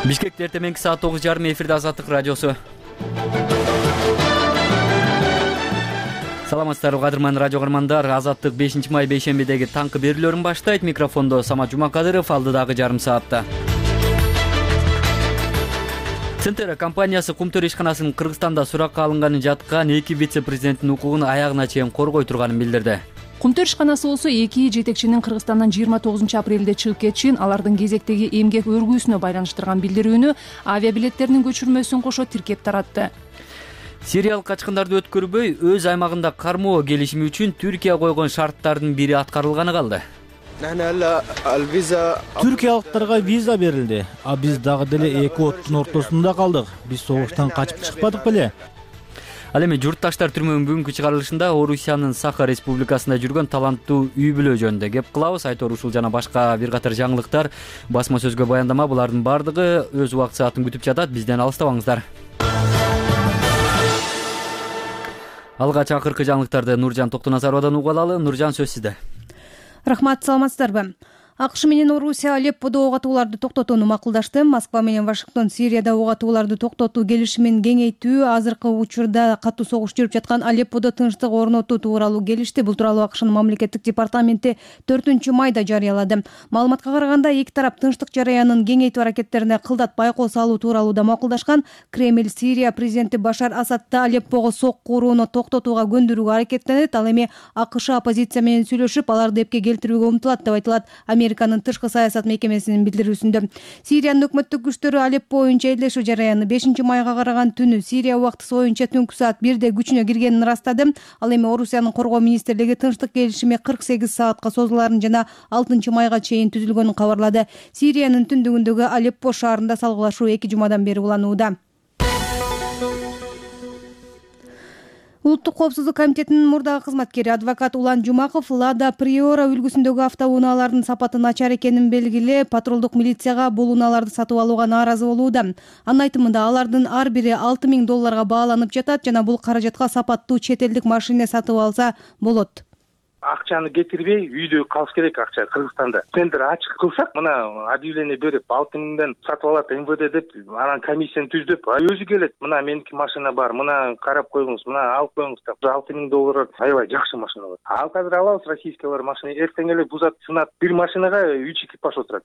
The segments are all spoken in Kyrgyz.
Бишкекте эртең саат 9:30 эфирде Азаттык радиосу. Саламатсыздарбы кадырман радио көрөрмандар. Азаттык 5 май бейшембидеги таңкы берүүлөрүн баштайт. Микрофондо Самат Жумакадыров, алдыдагы жарым саатта. Центера компаниясы Кумтөр ишканасынын Кыргызстанда суракка алынганы жаткан 2 вице-президенттин укугун аягына чейин коргой турганын билдирди. Кумтөр ишканасы болсо 2 жетекчинин Кыргызстандан 29 апрелде чыгып кетишин, алардын кезектеги эмгек өргүүсүнө байланыштырган билдирүүнү авиабилеттеринин көчүрмөсүн кошо тиркеп таратты. Сириялык качкындарды өткөрбөй, өз аймагында кармоо келишими үчүн Түркия койгон шарттардын бири аткарылганы калды. Түркиялыктарга виза берилди, а биз дагы деле эки оттун ортосунда калдык. Биз согуштан качып чыкпадык беле? Ал эми журтташтар түрмөнүн бүгүнкү чыгарылышында Орусиянын Саха республикасында жүргөн таланттуу үй бүлө жөнүндө кеп кылабыз. Айтор ушул жана башка бир катар жаңылыктар, басма сөзгө баяндама, булардын бардыгы өз убакыт саатын күтүп жатат. Бизден алыстабаңыздар. Алгач акыркы жаңылыктарды Нуржан Токтоназаровадан угуп алалы. Нуржан, сөз сизде. Рахмат, саламатсыздарбы? АКШ менен Орусия Алепподо ок атууларды токтотууну макулдашты. Москва менен Вашингтон Сирияда ок атууларды токтотуу келишимин кеңейтүү, азыркы учурда катуу согуш жүрүп жаткан Алепподо тынчтык орнотуу тууралуу келишти. Бул тууралуу АКШнын мамлекеттик департаменти 4-майда жарыялады. Маалыматка караганда, эки тарап тынчтык жараянын кеңейтүү аракеттерине кылдат байкоо салуу тууралуу да макулдашкан. Кремль Сирия президенти Башар Асадты Алеппого сок курууну токтотууга көндүрүүгө аракеттенет. Ал эми АКШ оппозиция менен сүйлөшүп, аларды эпке келтирүүгө умтулат деп айтылат Американын тышкы саясат мекемесинин билдирүүсүндө. Сириянын өкмөттүк күчтөрү Алеппо боюнча элдешүү жараяны 5-майга караган түнү Сирия убактысы боюнча түнкү саат 1-де күчүнө киргенин ырастады. Ал эми Орусиянын коргоо министрлиги тынчтык келишими 48 саатка созуларын жана 6-майга чейин түзүлгөнүн кабарлады. Сириянын түндүгүндөгү Алеппо шаарында салгылашуу 2 жумадан бери уланууда. Улуттук коопсуздук комитетинин мурдагы кызматкери адвокат Улан Жумаков Лада Приора үлгүсүндөгү автоунаалардын сапаты начар экенин белгилеп, патрулдук милицияга бул унааларды сатып алууга нааразы болууда. Анын айтымында, алардын ар бири $6,000 бааланып жатат жана бул каражатка сапаттуу чет элдик машина сатып алса болот. Акчаны кетирбей үйдө калыш керек. Акча Кыргызстанда тендер ачык кылсак, мына объявление берип 6,000 сатып алат МВД деп, анан комиссияны түздөп, өзү келет, мына меники машина бар, мына карап коюңуз, мына алып коюңуз деп $6,000 аябай жакшы машина бар. Ал казыр алабыз российскийлер машина, эртең эле бузат, сынат, бир машинага 3 экипаж отурат.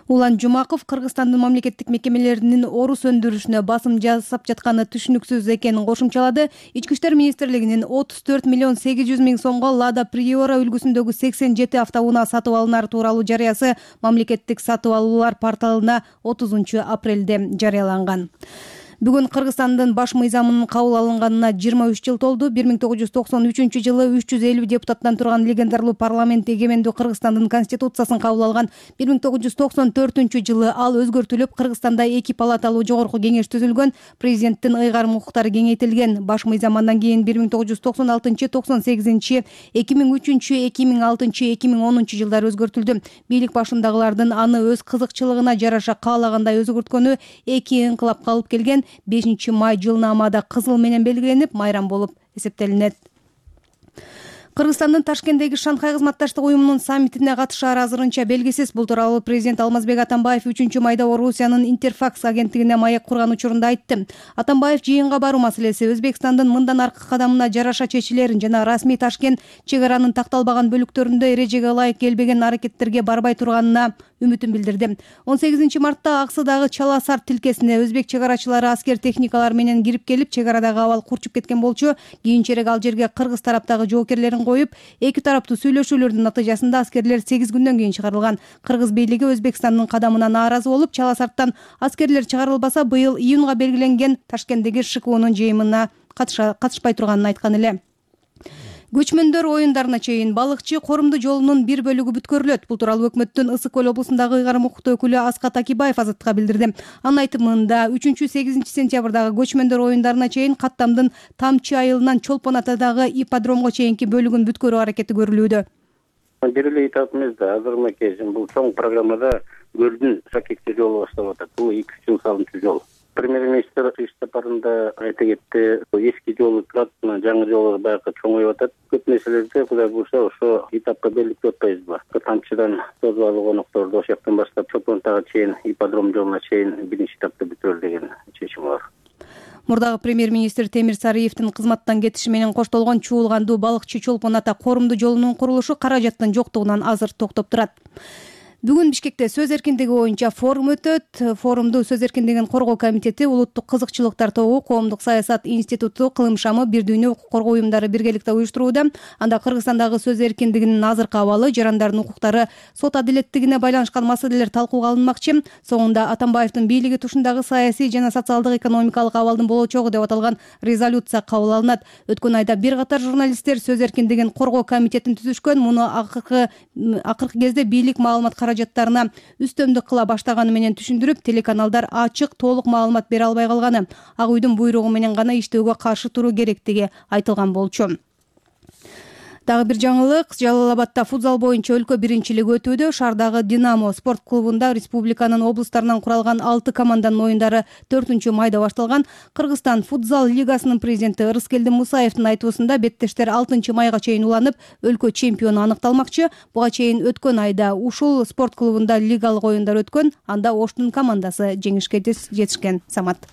Улан Жумаков Кыргызстандын мамлекеттик мекемелеринин орус өндүрүшүнө басым жасап жатканы түшүнүксүз экенин кошумчалады. Ички иштер министрлигинин 34,8 миң сомго Лада Приора үлгүсүндөгү 87 автоунаа сатып алынары тууралуу жарыясы мамлекеттик сатып алуулар порталына 30 апрелде жарыяланган. Бүгүн Кыргызстандын баш мыйзамынын кабыл алынганына 23 жыл толду. 1993 жылы 350 депутаттан турган легендарлуу парламент эгемендүү Кыргызстандын конституциясын кабыл алган. 1994 жылы ал өзгөртүлүп, Кыргызстанда 2 палаталуу жогорку кеңеш түзүлгөн, президенттин ыйгарым укуктары кеңейтилген. Баш мыйзам андан кийин 1996-98, 2003, 2006, 2010 жылдары өзгөртүлдү. Бийлик башындагылардын аны өз кызыкчылыгына жараша каалагандай өзгөрткөнү 2 ыңкылапка алып келген. 5 май жылнаамада кызыл менен белгиленип, майрам болуп эсептелинет. Кыргызстандын Ташкенттеги Шанхай кызматташтык уюмунун саммитине катышаары азырынча белгисиз. Бул тууралуу президент Алмазбек Атамбаев 3-майда Орусиянын Интерфакс агенттигине маек курган учурунда айтты. Атамбаев жыйынга баруу маселеси Өзбекстандын мындан аркы кадамына жараша чечилерин жана расмий Ташкент чек аранын такталбаган бөлүктөрүндө эрежеге ылайык келбеген аракеттерге барбай турганына үмүтүн билдирди. 18 мартта Аксыдагы Чала Сарт тилкесине өзбек чек арачылары аскер техникалар менен кирип келип, чек арадагы абал курчуп кеткен болчу. Кийинчерээк ал жерге кыргыз тараптагы жоокерлерин коюп, эки тараптуу сүйлөшүүлөрдүн натыйжасында аскерлер 8 күндөн кийин чыгарылган. Кыргыз бийлиги Өзбекстандын кадамына нааразы болуп, Чала Сарттан аскерлер чыгарылбаса, быйыл июнга белгиленген Ташкенттеги ШКУнун жыйынына катышпай турганын айткан эле. Көчмөндөр оюндарына чейин балыкчы корумду жолунун бир бөлүгү бүткөрүлөт. Бул тууралуу өкмөттүн Ысык көл облусундагы ыйгарым укуктуу өкүлү Аскат Акибаев Азаттыкка билдирди. Анын айтымында 3-8 сентябрдагы көчмөндөр оюндарына чейин Каттамдын Тамчы айылынан Чолпон атадагы ипподромго чейинки бөлүгүн бүткөрүү аракети көрүлүүдө. Бир эле айтат эмес да, азыр кечин бул чоң программада көлдүн шакекче жолу баштап атат. Бул 2 жыл салынчу жол. Премьер-министр иш сапарында айта кетти, эски жолу турат, жаңы жолу баягы чоңоюп атат. Көп нерселерди Кудай буюрса ошо этапка белгилеп атпайбызбы? Тамчыдан Тоз Балы конокторду ошол жактан баштап Чопонтага чейин, ипподром жолуна чейин биринчи этапты бүтүрөлү деген чечим бар. Мурдагы премьер-министр Темир Сариевдин кызматтан кетиши менен коштолгон Чуулгандуу балыкчы Чолпон ата коорумдуу жолунун курулушу каражаттын жоктугунан азыр токтоп турат. Бүгүн Бишкекте сөз эркиндиги боюнча форум өтөт. Форумду Сөз эркиндигин коргоо комитети, Улуттук кызыкчылыктар тобу, Коомдук саясат институту, Кылым шамы, Бир дүйнө укук коргоо уюмдары биргеликте уюштурууда. Анда Кыргызстандагы сөз эркиндигинин азыркы абалы, жарандардын укуктары, сот адилеттигине байланышкан маселелер талкууга алынмакчы. Соңунда Атамбаевдин бийлиги тушундагы саясий жана социалдык экономикалык абалдын болочогу деп аталган резолюция кабыл алынат. Өткөн айда бир катар журналисттер сөз эркиндигин коргоо комитетин түзүшкөн. Муну акыркы кезде бийлик маалымат каражаттарына үстөмдүк кыла баштаганы менен түшүндүрүп, телеканалдар ачык, толук маалымат бере албай калганы, Ак үйдүн буйругу менен гана иштөөгө каршы туруу керектиги айтылган болчу. Дагы бир жаңылык, Жалал-Абадда футзал боюнча өлкө биринчилиги өтүүдө. Шаардагы Динамо спорт клубунда республиканын облустарынан куралган 6 команданын оюндары 4-майда башталган. Кыргызстан футзал лигасынын президенти Ырыскелди Мусаевдин айтуусунда беттештер 6-майга чейин уланып, өлкө чемпиону аныкталмакчы. Буга чейин өткөн айда ушул спорт клубунда лигалык оюндар өткөн, анда Оштун командасы жеңишке жетишкен. Самат.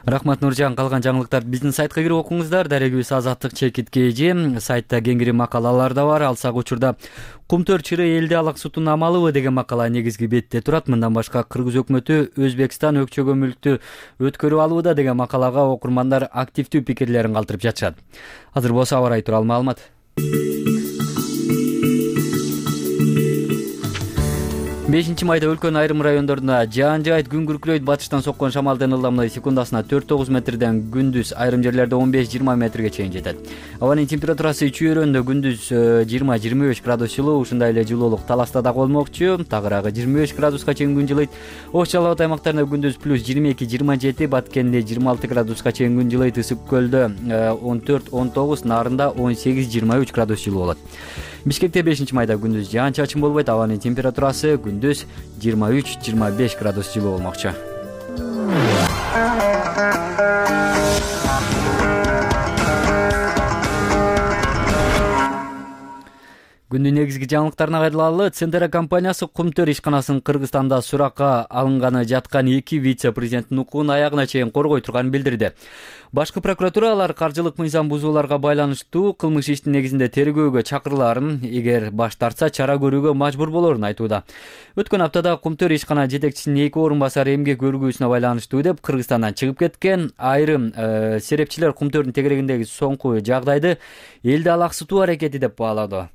Рахмат Нуржан. Калган жаңылыктар биздин сайтка кирип окуңуздар. Дарегибиз Азаттык чекитке эже. Сайтта кеңири макалалар да бар. Алсак учурда Кумтөр чыры элди алаксутун амалыбы деген макала негизги бетте турат. Мындан башка Кыргыз өкмөтү Өзбекстан өкчөгө мүлктү өткөрүп алууда деген макалага окурмандар активдүү пикирлерин калтырып жатышат. Азыр болсо аба ырайы тууралуу маалымат. 5-майда өлкөнүн айрым райондорунда жаан жаайт, күн күркүрөйт. Батыштан соккон шамалдын ылдамдыгы секундасына 4-9 метрден күндүз айрым жерлерде 15-20 метрге чейин жетет. Абанын температурасы чүйөрөндө күндүз 20-25 градус жылуу, ушундай эле жылуулук Таласта да болмокчу. Тагыраагы 25 градуска чейин күн жылыйт. Ош Жалал Абад аймактарында күндүз +22-27, Баткенде 26 градуска чейин күн жылыйт. Ысык көлдө 14-19, Нарында 18-23 градус жылуу болот. Бишкекте 5-майда күндүз жаан чачын болбойт. Абанын температурасы күндүз 23-25 градус жылуу болмокчу. Күндүн негизги жаңылыктарына кайрылалы. Центера компаниясы Кумтөр ишканасынын Кыргызстанда суракка алынганы жаткан 2 вице-президенттин укугун аягына чейин коргой турганын билдирди. Башкы прокуратура алар каржылык мыйзам бузууларга байланыштуу кылмыш иштин негизинде тергөөгө чакырылаарын, эгер баш тартса чара көрүүгө мажбур болорун айтууда. Өткөн аптада Кумтөр ишкана жетекчисинин 2 орун басары эмгек өргүүсүнө байланыштуу деп Кыргызстандан чыгып кеткен. Айрым серепчилер Кумтөрдүн тегерегиндеги соңку жагдайды элди алаксытуу аракети деп баалады.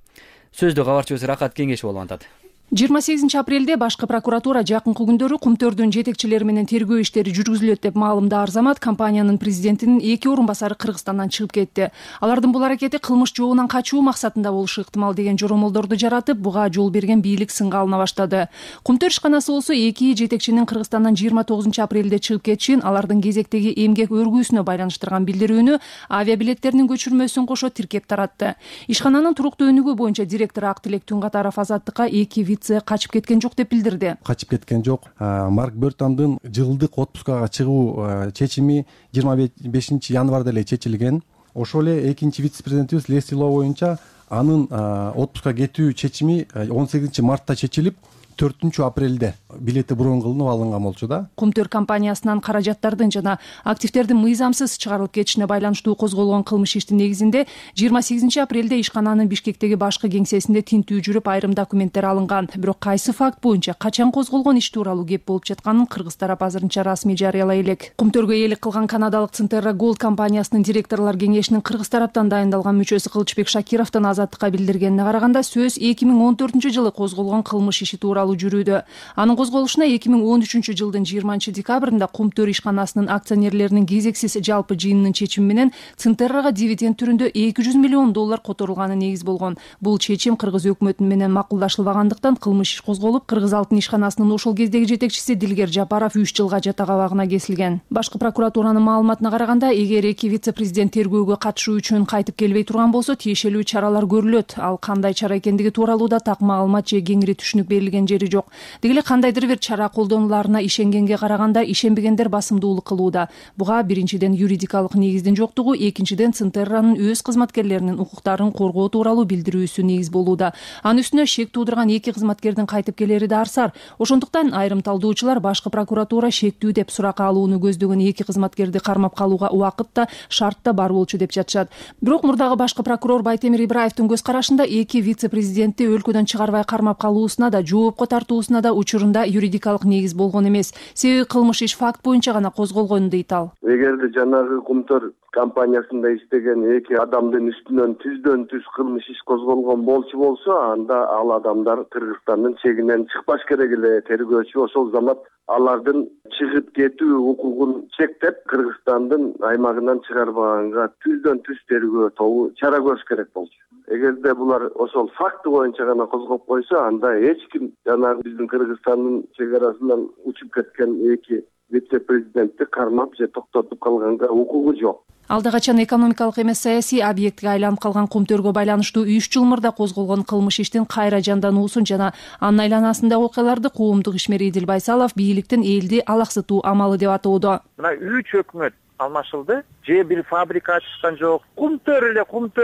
Сөздү кабарчыбыз Рахат Кеңешов болуп атат. 28 апрелде башкы прокуратура жакынкы күндөрү Кумтөрдүн жетекчилери менен тергөө иштери жүргүзүлөт деп маалымда Арзамат. Компаниянын президентинин 2 орун басары Кыргызстандан чыгып кетти. Алардын бул аракети кылмыш жообунан качуу максатында болушу ыктымал деген жоромолдорду жаратып, буга жол берген бийлик сынга алына баштады. Кумтөр ишканасы болсо 2 жетекчинин Кыргызстандан 29 апрелде чыгып кетишин, алардын кезектеги эмгек өргүүсүнө байланыштырган билдирүүнү, авиабилеттеринин көчүрмөсүн кошо тиркеп таратты. Ишкананын туруктуу өнүгүү боюнча директору Актилек Түнкатаров Азаттыкка 2 качып кеткен жок деп билдирди. Качып кеткен жок. Марк Бертандын жылдык отпускага чыгуу чечими 25 январда эле чечилген. Ошол эле экинчи вице-президентибиз Лесли Ло боюнча анын отпускка кетүү чечими 18 мартта чечилип, 4 апрелде билети броон кылынып алынган болчу да. Кумтөр компаниясынан каражаттардын жана активдердин мыйзамсыз чыгарылып кетишине байланыштуу козголгон кылмыш иштин негизинде 28 апрелде ишкананын Бишкектеги башкы кеңсесинде тинтүү жүрүп, айрым документтер алынган. Бирок кайсы факт боюнча качан козголгон иш тууралуу кеп болуп жатканын кыргыз тарап азырынча расмий жарыялай элек. Кумтөргө ээлик кылган канадалык Центерра Голд компаниясынын директорлор кеңешинин кыргыз тараптан дайындалган мүчөсү Кылычбек Шакировдун Азаттыкка билдиргенине караганда, сөз 2014 жылы козголгон кылмыш иши тууралуу жүрүүдө. Анын козголушуна 2013 жылдын 20 декабрында Кумтөр ишканасынын акционерлеринин кезексиз жалпы жыйынынын чечими менен Центеррага дивиденд түрүндө $200 миллион которулганы негиз болгон. Бул чечим кыргыз өкмөтү менен макулдашылбагандыктан кылмыш иш козголуп, Кыргыз алтын ишканасынын ошол кездеги жетекчиси Дилгер Жапаров 3 жылга жатак абагына кесилген. Башкы прокуратуранын маалыматына караганда, эгер 2 вице-президент тергөөгө катышуу үчүн кайтып келбей турган болсо, тиешелүү чаралар көрүлөт. Ал кандай чара экендиги тууралуу да так маалымат же кеңири түшүнүк берилген жери жок. Деги эле кандайдыр бир чара колдонуларына ишенгенге караганда ишенбегендер басымдуулук кылууда. Буга биринчиден юридикалык негиздин жоктугу, экинчиден Центерранын өз кызматкерлеринин укуктарын коргоо тууралуу билдирүүсү негиз болууда. Анын үстүнө шек туудурган 2 кызматкердин кайтып келери да арсар. Ошондуктан айрым талдоочулар башкы прокуратура шектүү деп суракка алууну көздөгөн 2 кызматкерди кармап калууга убакыт да шарт да бар болчу деп жатышат. Бирок мурдагы башкы прокурор Байтемир Ибраевдин көз карашында 2 вице-президентти өлкөдөн чыгарбай кармап калуусуна да, жоопко тартуусуна да учурунда юридикалык негиз болгон эмес. Себеби кылмыш иш факт боюнча гана козголгон дейт ал. Эгерде жанагы Кумтөр компаниясында иштеген 2 адамдын үстүнөн түздөн түз кылмыш иш козголгон болчу болсо, анда ал адамдар Кыргызстандын чегинен чыкпаш керек эле. Тергөөчү ошол замат алардын чыгып кетүү укугун чектеп, Кыргызстандын аймагынан чыгарбаганга түздөн түз тергөө тобу чара көрүш керек болчу. Эгерде булар ошол факты боюнча гана козгоп койсо, анда эч ким жанагы биздин Кыргызстандын чек арасынан учуп кеткен 2 вице-президентти кармап же токтотуп калганга укугу жок. Алда качан экономикалык эмес саясий объектке айланып калган Кумтөргө байланыштуу 3 жыл мурда козголгон кылмыш иштин кайра жандануусун жана анын айланасындагы окуяларды коомдук ишмер Идил Байсалов бийликтин элди алаксытуу амалы деп атоодо. Мына 3 өкмөт алмашылды, же бир фабрика ачышкан жок, Кумтөр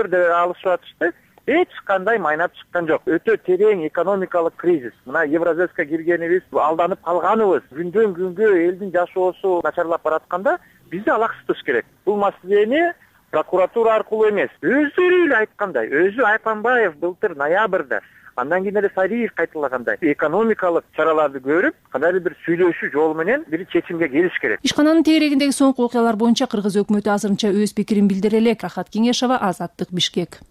деп алышып атышты. Эч кандай майнап чыккан жок. Өтө терең экономикалык кризис. Мына Евразэске киргенибиз, алданып калганыбыз, күндөн күнгө элдин жашоосу начарлап баратканда бизди алаксытыш керек. Бул маселени прокуратура аркылуу эмес, өздөрү эле айткандай, өзү Айпанбаев былтыр ноябрда, андан кийин эле Сариев кайталагандай экономикалык чараларды көрүп, кандайдыр бир сүйлөшүү жолу менен бир чечимге келиш керек. Ишкананын тегерегиндеги соңку окуялар боюнча Кыргыз өкмөтү азырынча өз пикирин билдире элек. Рахат Кеңешова, Азаттык, Бишкек.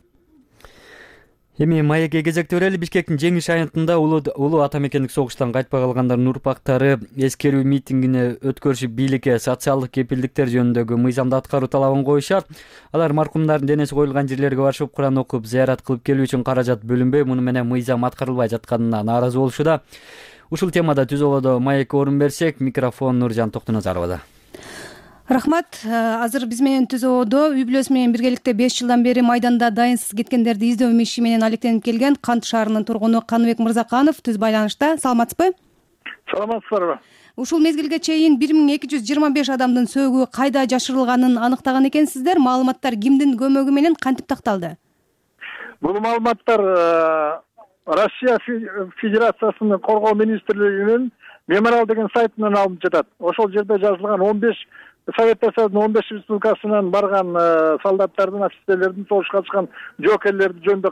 Эми маекке кезекте берели. Бишкектин Жеңиш аянтында улуу ата мекендик согуштан кайтпай калгандардын урпактары эскерүү митингине өткөрүшүп бийликке социалдык кепилдиктер жөнүндөгү мыйзамды аткаруу талабын коюшат. Алар маркумдардын денеси коюлган жерлерге барышып, Куран окуп, зыярат кылып келүү үчүн каражат бөлүнбөй, муну менен мыйзам аткарылбай жатканына нааразы болушууда. Ушул темада Түз Ободо маекке орун берсек, микрофон Нуржан Токтоназаровада. Рахмат. Азыр биз менен Түз Ободо үй бүлөсү менен биргеликте 5 жылдан бери майданда дайынсыз кеткендерди издөө иши менен алектенип келген Кант шаарынын тургуну Каныбек Мырзаканов түз байланышта. Саламатсызбы? Саламатсыздарбы? Ушул мезгилге чейин 1225 адамдын сөөгү кайда жашырылганын аныктаган экенсиздер. Маалыматтар кимдин көмөгү менен кантип такталды? Бул маалыматтар Россия Федерациясынын коргоо министрлигинин мемориал деген сайтынан алынып жатат. Ошол жерде жазылган 15 Советтер Союзунун 15 республикасынан барган солдаттардын, офицерлердин, согушка катышкан жоокерлердин жөнүндө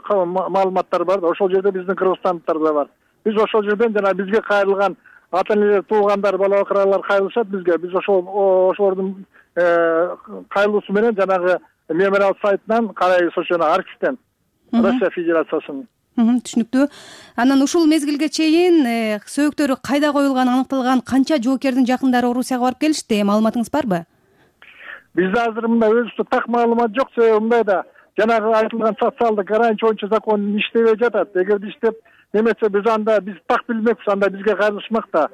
маалыматтар бар. Ошол жерде биздин кыргызстандыктар да бар. Биз ошол жерден жана бизге кайрылган ата-энелер, туугандар, бала бакыралар кайрылышат бизге. Биз ошолордун кайрылуусу менен жанагы мемориал сайтынан карайбыз, ошону архивден Россия Федерациясынын. Түшүнүктүү. Анан ушул мезгилге чейин сөөктөрү кайда коюлганы аныкталган канча жоокердин жакындары Орусияга барып келишти? Маалыматыңыз барбы? Бизде азыр мындай өзүбүздө так маалымат жок. Себеби мындайда жанагы айтылган социалдык ограничивающий закон иштебей жатат. Эгерде иштеп немесе биз так билмекпиз, анда бизге кайрылышмак да.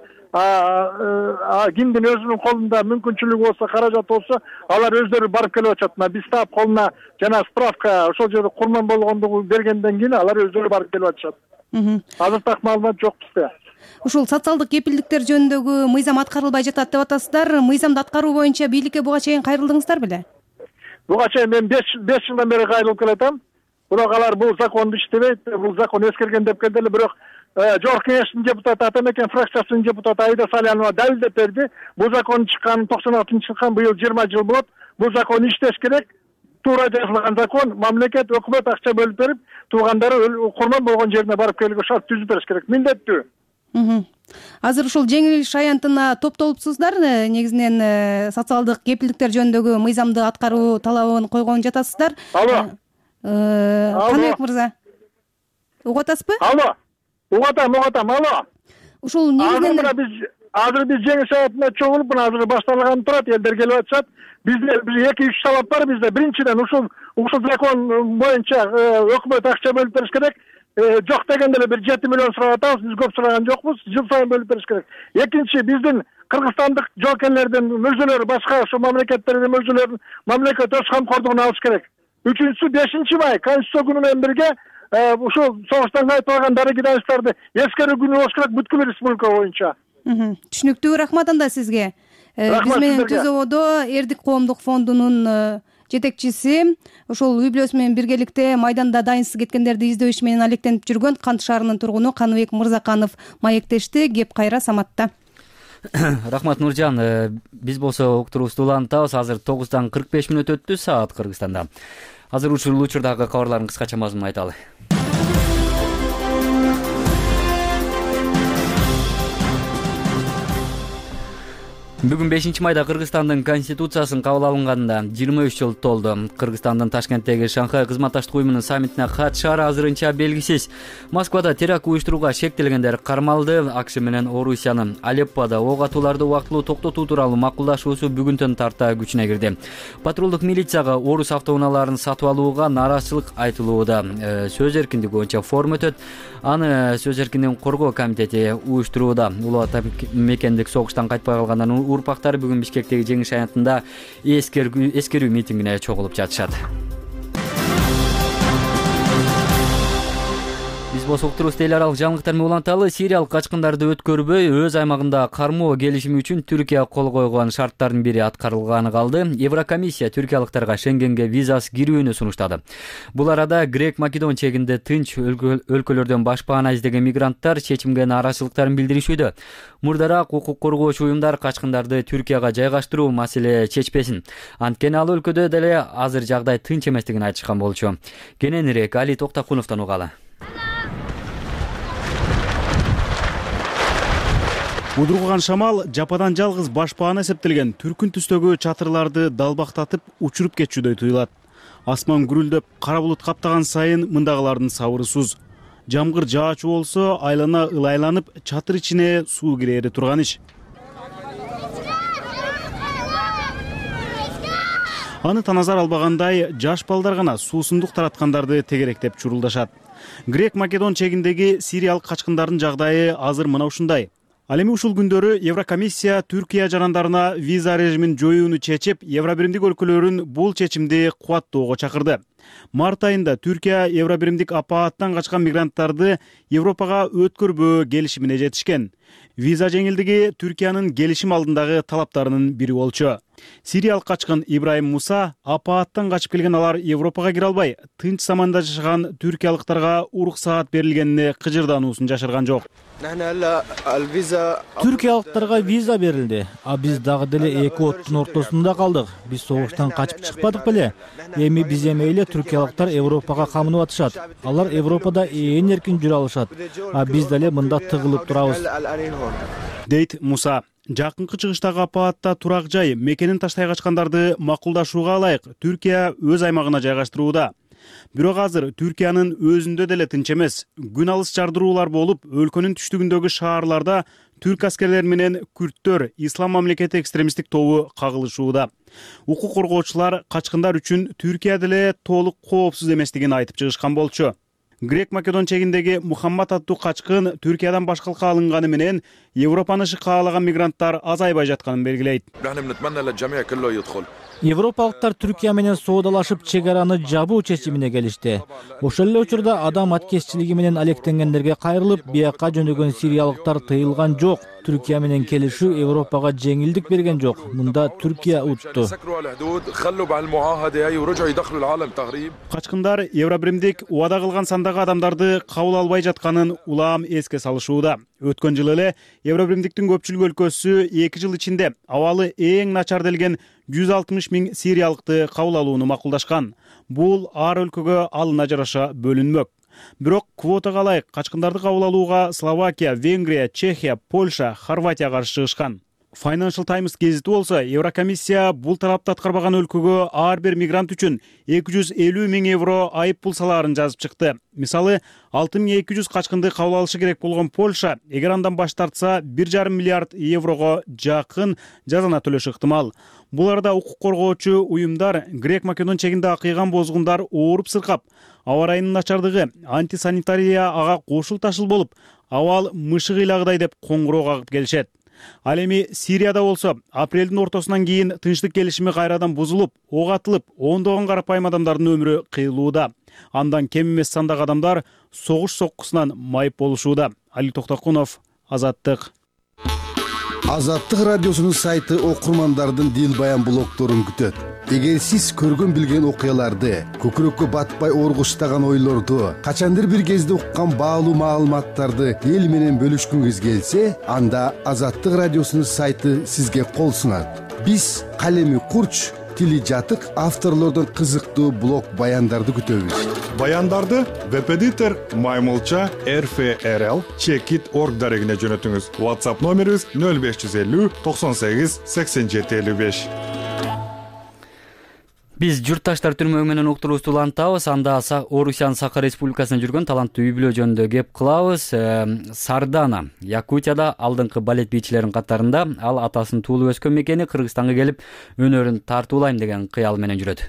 Кимдин өзүнүн колунда мүмкүнчүлүгү болсо, каражат болсо, алар өздөрү барып келип атышат. Биз таап колуна жана справка ошол жерде курман болгондугу бергенден кийин алар өздөрү барып келип атышат. Азыр так маалымат жок бизде. Ушул социалдык кепилдиктер жөнүндөгү мыйзам аткарылбай жатат деп атасыздар. Мыйзамды аткаруу боюнча бийликке буга чейин кайрылдыңыздар беле? Буга чейин мен 5 жылдан бери кайрылып келатам. Бирок алар бул законду иштебейт, бул закон эскерген деп келди эле. Бирок Жогорку Кеңештин депутаты, Ата мекен фракциясынын депутаты Аида Салянова далилдеп берди. Бул закон чыккан 96-жылы чыккан, быйыл 20 жыл болот. Бул закон иштеш керек. Туура жазылган закон, мамлекет, өкмөт акча бөлүп берип, туугандары курман болгон жерине барып келүүгө шарт түзүп бериш керек. Милдеттүү. Азыр ушул Жеңиш аянтына топтолупсуздар. Негизинен социалдык кепилдиктер жөнүндөгү мыйзамды аткаруу талабын койгон жатасыздар. Алло. Каныбек мырза. Угуп атасызбы? Алло. Угатам. Алло. Ушул негизинен азыр биз Жеңиш аянтына чогулуп, мына азыр башталган турат, элдер келип атышат. Бизде 2-3 талап бар бизде. Биринчиден ушул закон боюнча өкмөт акча бөлүп бериш керек. Жок дегенде эле 7 миллион сурап атабыз, биз көп сураган жокпуз. Жыл сайын бөлүп бериш керек. Экинчи, биздин кыргызстандык жоокерлердин мөжөлөрү, башка ошо мамлекеттердин мөжөлөрүн мамлекет өз камкордугуна алыш керек. Үчүнчүсү 5 май Конституция күнү менен бирге ушул согуштан кайтып алган дарыгий даныштарды эскерүү күнү болуш керек бүткүл республика боюнча. Түшүнүктүү, рахмат анда сизге. Биз менен Түз ободо Эрдик коомдук фондунун жетекчиси, ошол үй бүлөсү менен биргеликте майданда дайынсыз кеткендерди издөө иши менен алектенип жүргөн Кант шаарынын тургуну Каныбек Мырзаканов маектешти. Кеп кайра Саматта. Рахмат Нуржан. Биз болсо уктуруубузду улантабыз. Азыр 9:45 өттү саат Кыргызстанда. Азыр ушул учурдагы кабарлардын кыскача мазмунун айталы. Бүгүн 5-майда Кыргызстандын конституциясын кабыл алынганына 23 жыл толду. Кыргызстандын Ташкенттеги Шанхай кызматташтык уюмунун саммитине катышаары азырынча белгисиз. Москвада теракт уюштурууга шектелгендер кармалды. АКШ менен Орусиянын Алеппода ок атууларды убактылуу токтотуу тууралуу макулдашуусу бүгүнтөн тарта күчүнө кирди. Патрулдук милицияга орус автоунааларын сатып алууга нааразычылык айтылууда. Сөз эркиндиги боюнча форум өтөт. Аны сөз эркиндигин коргоо комитети уюштурууда. Улуу ата мекендик согуштан кайтпай калгандар урпактары бүгүн Бишкектеги жеңиш аянтында эскерүү митингине чогулуп жатышат. Биз болсо уктуруубузду эл аралык жаңылыктар менен уланталы. Сириялык качкындарды өткөрбөй өз аймагында кармоо келишими үчүн Түркия кол койгон шарттардын бири аткарылганы калды. Еврокомиссия түркиялыктарга Шенгенге визасыз кирүүнү сунуштады. Бул арада Грек-Македон чегинде тынч өлкөлөрдөн башпаана издеген мигранттар чечимге нааразычылыктарын билдиришүүдө. Мурдараак укук коргоочу уюмдар качкындарды Түркияга жайгаштыруу маселе чечпесин. Анткени ал өлкөдө деле азыр жагдай тынч эместигин айтышкан болчу. Кененирээк Али Токтакуновдон угалы. Удурган шамал жападан жалгыз башпаана эсептелген түркүн түстөгү чатырларды далбактатып учуруп кетчүдөй туюлат. Асман гүрүлдөп, кара булут каптаган сайын мындагылардын сабыры суз. Жамгыр жаачу болсо айлана ылайланып, чатыр ичине суу кирери турган иш. Аны таназар албагандай жаш балдар гана суусундук тараткандарды тегеректеп чурулдашат. Грек-Македон чегиндеги сириялык качкындардын жагдайы азыр мына ушундай. Ал эми ушул күндөрү Еврокомиссия Түркия жарандарына виза режимин жоюуну чечип, Евробиримдик өлкөлөрүн бул чечимди кубаттоого чакырды. Март айында Түркия Евробиримдик апааттан качкан мигранттарды Европага өткөрбөө келишимине жетишкен. Виза жеңилдиги Түркиянын келишим алдындагы талаптарынын бири болчу. Сириялык качкын Ибраим Муса апааттан качып келген алар Европага кире албай, тынч заманда жашаган түркиялыктарга уруксаат берилгенине кыжырдануусун жашырган жок. Түркиялыктарга виза берилди, а биз дагы деле эки оттун ортосунда калдык. Биз согуштан качып чыкпадык беле? Эми биз эмейле түркиялыктар Европага камынып атышат. Алар Европада ээн эркин жүрө алышат, а биз деле мында тыгылып турабыз. Дейт Муса. Жакынкы чыгыштагы апаатта турак жай мекенин таштай качкандарды макулдашууга ылайык Түркия өз аймагына жайгаштырууда. Бирок азыр Түркиянын өзүндө деле тынч эмес. Күн алыс жардыруулар болуп, өлкөнүн түштүгүндөгү шаарларда түрк аскерлери менен күрттөр Ислам мамлекети экстремисттик тобу кагылышууда. Укук коргоочулар качкындар үчүн Түркия деле толук коопсуз эместигин айтып чыгышкан болчу. Грек-Македон чегиндеги Мухаммад аттуу качкын Түркиядан башкалыкка алынганы менен Европаны каалаган мигранттар азайбай жатканын белгилейт. Европалыктар Түркия менен соодалашып чек араны жабуу чечимине келишти. Ошол эле учурда адам аткезчилиги менен алектенгендерге кайрылып, бияка жөнөгөн сириялыктар тыйылган жок. Түркия менен келишүү Европага жеңилдик берген жок. Мында Түркия утту. Качкындар Евробиримдик убада кылган сандагы адамдарды кабыл албай жатканын улам эске салышууда. Өткөн жылы эле Евробиримдиктин көпчүлүк өлкөсү 2 жыл ичинде абалы эң начар делген 160 000 сириялыкты кабыл алууну макулдашкан. Бул ар өлкөгө алына жараша бөлүнмөк. Бирок квотага ылайык качкындарды кабыл алууга Словакия, Венгрия, Чехия, Польша, Хорватия каршы чыгышкан. Financial Times гезити болсо, Еврокомиссия бул талапты аткарбаган өлкөгө ар бир мигрант үчүн 250 000 евро айып пул салаарын жазып чыкты. Мисалы, 6200 качкынды кабыл алышы керек болгон Польша, эгер андан баш тартса, 1,5 миллиард еврого жакын жазана төлөшү ыктымал. Бул арада укук коргоочу уюмдар Грек-Македон чегинде акыйган бозгундар ооруп сыркап, аба ырайынын начардыгы, антисанитария ага кошул ташыл болуп, абал мышык ыйлагыдай деп коңгуроо кагып келишет. Ал эми Сирияда болсо, апрелдин ортосунан кийин тынчтык келишими кайрадан бузулуп, ок атылып, ондогон карапайым адамдардын өмүрү кыйылууда. Андан кем эмес сандагы адамдар согуш соккусунан майып болушууда. Али Токтокунов, Азаттык. Азаттык радиосунун сайты окурмандардын дил баян блогторун күтөт. Эгер сиз көргөн билген окуяларды, көкүрөккө батпай оргуштаган ойлорду, качандыр бир кезде уккан баалуу маалыматтарды эл менен бөлүшкүңүз келсе, анда Азаттык радиосунун сайты сизге кол сунат. Биз калеми курч, тили жатык авторлордон кызыктуу блог баяндарды күтөбүз. Баяндарды веб-эдитор Маймылча RFRL Checkit.org дарегине жөнөтүңүз. WhatsApp номерибиз 0550 98 87 55. Биз журтташтар түрмө менен уктуруубузду улантабыз. Анда Орусиянын Саха Республикасында жүргөн таланттуу үй бүлө жөнүндө кеп кылабыз. Сардана, Якутияда алдыңкы балет бийчилеринин катарында. Ал атасынын туулуп өскөн мекени Кыргызстанга келип, өнөрүн тартуулайм деген кыял менен жүрөт.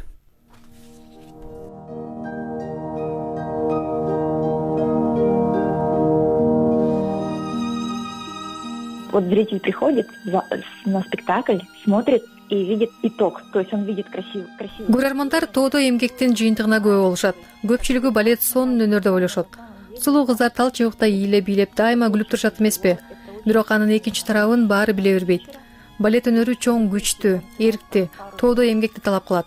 Вот зритель приходит на спектакль, смотрит и видит итог, то есть он видит красиво. Көрөрмандар тоодо эмгектин жыйынтыгына күбө болушат. Көпчүлүгү балет сонун өнөрдө ойлошот. Сулуу кыздар тал чыбыкта ийиле бийлеп дайыма күлүп турушат эмеспи? Бирок анын экинчи тарабын баары биле бербейт. Балет өнөрү чоң, күчтүү, эрктүү, тоодо эмгекти талап кылат.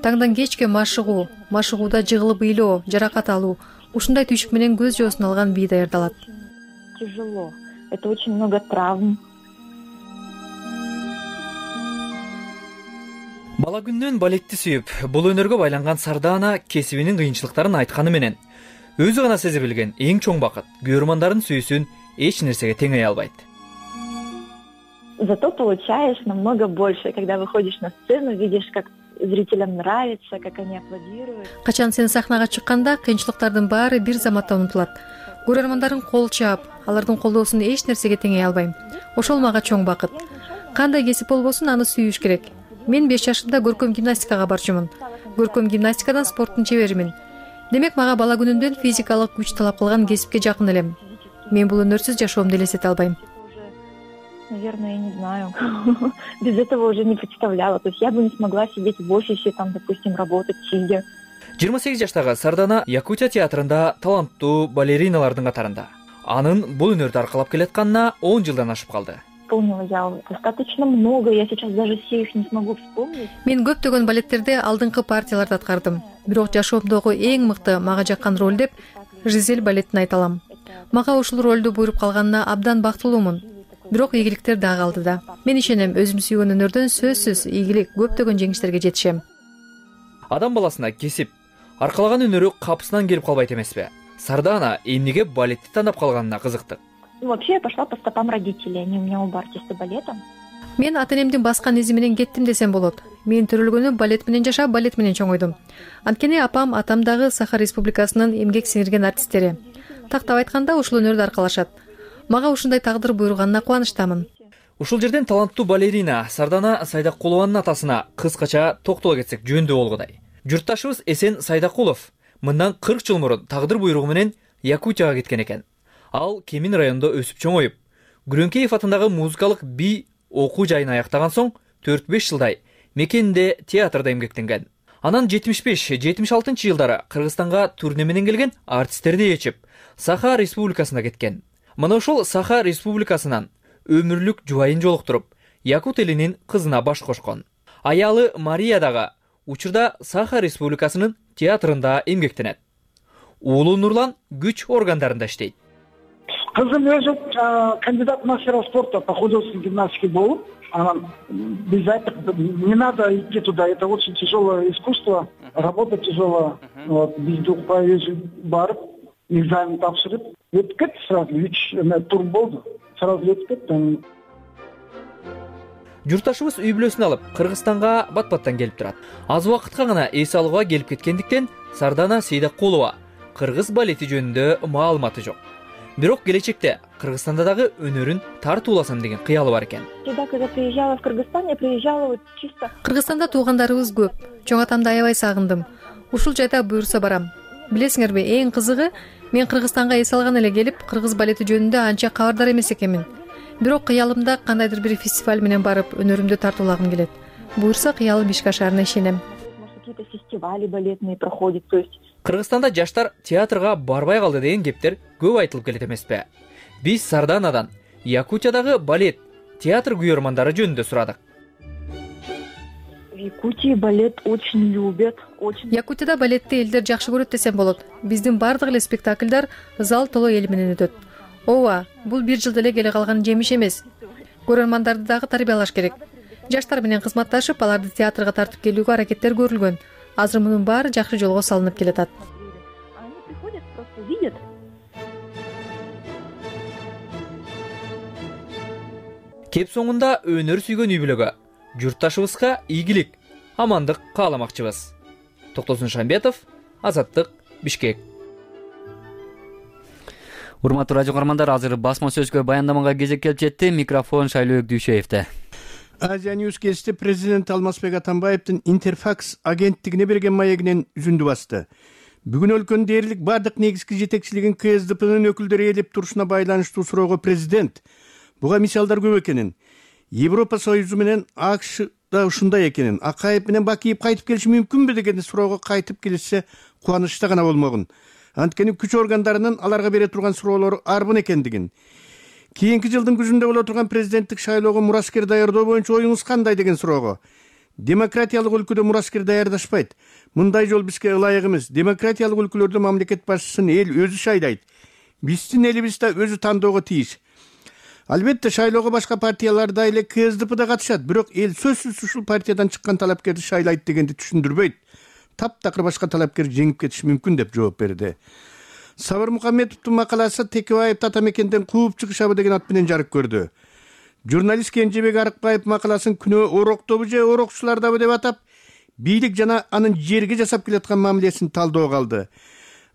Таңдан кечке машыгуу, машыгууда жыгылып ыйлоо, жаракат алуу, ушундай түйшүк менен көз жоосун алган бий даярдалат. Тяжело. Это очень много травм. Бала күнүнөн балетти сүйүп, бул өнөргө байланган Сардана кесибинин кыйынчылыктарын айтканы менен өзү гана сезе билген эң чоң бакыт көрөрмандардын сүйүүсүн эч нерсеге теңей албайт. Зато получаешь намного больше, когда выходишь на сцену, видишь, как зрителям нравится, как они аплодируют. Качан сен сахнага чыкканда кыйынчылыктардын баары бир заматта унутулат. Көрөрмандардын кол чаап, алардын колдоосун эч нерсеге теңей албайм. Ошол мага чоң бакыт. Кандай кесип болбосун, аны сүйүш керек. Мен 5 жашымда көркөм гимнастикага барчумун. Көркөм гимнастикадан спорттун чеберимин. Демек мага бала күнүмдөн физикалык күч талап кылган кесипке жакын элем. Мен бул өнөрсүз жашоомду элестете албайм. Наверное, я не знаю. Без этого уже не представляла. То есть я бы не смогла сидеть в офисе, там, допустим, работать сидя. 28 жаштагы Сардана Якутия театрында таланттуу балериналардын катарында. Анын бул өнөрдү аркалап келатканына 10 жылдан ашып калды. Исполнила я достаточно много, я сейчас даже все их не смогу вспомнить. Мен көптөгөн балеттерде алдыңкы партияларды аткардым. Бирок жашоомдогу эң мыкты мага жаккан роль деп Жизель балетин айта алам. Мага ушул ролду буйруп калганына абдан бактылуумун. Бирок ийгиликтер да калды да. Мен ишенем, өзүм сүйгөн өнөрдөн сөзсүз ийгилик, көптөгөн жеңиштерге жетишем. Адам баласына кесип, аркалаган өнөрү капысынан келип калбайт эмеспи? Сардана эмнеге балетти тандап калганына кызыктык. Вообще я пошла по стопам родителей, они у меня оба артисты балета. Мен ата-энемдин баскан изи менен кеттим десем болот. Мен төрөлгөнү балет менен жашап, балет менен чоңойдум. Анткени апам, атам дагы Саха Республикасынын эмгек сиңирген артисттери. Тактап айтканда ушул өнөрдү аркалашат. Мага ушундай тагдыр буйруганына кубанычтамын. Ушул жерден таланттуу балерина Сардана Сайдакулованын атасына кыскача токтоло кетсек жөндүү болгудай. Журтташыбыз Эсен Сайдакулов мындан 40 жыл мурун тагдыр буйругу менен Якутияга кеткен экен. Ал Кемин районунда өсүп чоңоюп, Күрөңкеев атындагы музыкалык бий окуу жайын аяктаган соң 4-5 жылдай мекенинде театрда эмгектенген. Анан 75-76 жылдары Кыргызстанга турне менен келген артисттерди ээрчип, Саха Республикасына кеткен. Мына ошол Саха Республикасынан өмүрлүк жубайын жолуктуруп, якут элинин кызына баш кошкон. Аялы Мария дагы учурда Саха Республикасынын театрында эмгектенет. Уулу Нурлан күч органдарында иштейт. Кызым өзү кандидат мастера спорта по художественной гимнастике болуп, анан биз айттык, не надо идти туда, это очень тяжелое искусство, работа тяжелая. Вот, биз укпай өзү барып, экзамен тапшырып, өтүп кетти сразу, 3 тур болду, сразу өтүп кетти. Журтташыбыз үй бүлөсүн алып, Кыргызстанга бат-баттан келип турат. Аз убакытка гана эс алууга келип кеткендиктен Сардана Сейдакулова кыргыз балети жөнүндө маалыматы жок. Бирок келечекте Кыргызстанда дагы өнөрүн тартууласам деген кыялы бар экен. Когда приезжала в Кыргызстан, я приезжала вот чисто. Кыргызстанда туугандарыбыз көп. Чоң атамды аябай сагындым. Ушул жайда буйрса барам. Билесиңерби, эң кызыгы, мен Кыргызстанга эс алган эле келип, кыргыз балети жөнүндө анча кабардар эмес экенмин. Бирок кыялымда кандайдыр бир фестиваль менен барып, өнөрүмдү тартуулагым келет. Буйрса кыялым ишке ашарына ишенем. Какие-то фестивали балетные проходят, то есть Кыргызстанда жаштар театрга барбай калды деген кептер көп айтылып келет эмеспи? Биз Сарданадан Якутиядагы балет театр күйөрмандары жөнүндө сурадык. В Якутии балет очень любят. Якутияда балетти элдер жакшы көрөт десем болот. Биздин бардык эле спектакльдар зал толо эл менен өтөт. Ооба, бул бир жылда эле келе калган жемиш эмес. Көрөрмандарды дагы тарбиялаш керек. Жаштар менен кызматташып, аларды театрга тартып келүүгө аракеттер көрүлгөн. Азыр мунун баары жакшы жолго салынып келатат. Они приходят, просто видят. Кеп соңунда өнөр сүйгөн үй бүлөгө, журтташыбызга ийгилик, амандык кааламакчыбыз. Токтосун Шамбетов, Азаттык, Бишкек. Урматтуу радио каармандар, азыр басма сөзгө баяндамага кезек келип жетти. Микрофон Шайлообек Дүйшеевде. Азия Ньюс кечти президент Алмазбек Атамбаевдин Интерфакс агенттигине берген маегинен үзүндү басты. Бүгүн өлкөнүн дээрлик бардык негизги жетекчилигин КСДПнын өкүлдөрү ээлеп турушуна байланыштуу суроого президент буга мисалдар көп экенин, Европа Союзу менен АКШ да ушундай экенин, Акаев менен Бакиев кайтып келиши мүмкүнбү деген суроого кайтып келишсе кубанычта гана болмогун. Анткени күч органдарынын аларга бере турган суроолору арбын экендигин, кийинки жылдын күзүндө боло турган президенттик шайлоого мураскер даярдоо боюнча оюңуз кандай деген суроого, демократиялык өлкөдө мураскер даярдашпайт. Мындай жол бизге ылайык эмес. Демократиялык өлкөлөрдө мамлекет башчысын эл өзү шайлайт. Биздин элибиз да өзү тандоого тийиш. Албетте шайлоого башка партиялар да эле КСДП да катышат, бирок эл сөзсүз ушул партиядан чыккан талапкерди шайлайт дегенди түшүндүрбөйт. Таптакыр башка талапкер жеңип кетиши мүмкүн деп жооп берди. Сабыр Мукаммедовдун макаласы Текебаев Татамекенден кууп чыгышабы деген ат менен жарык көрдү. Журналист Кенжебек Арыкбаев макаласын күнөө ороктобу же орокчулардабы деп атап, бийлик жана анын жерге жасап келаткан мамилесин талдоого алды.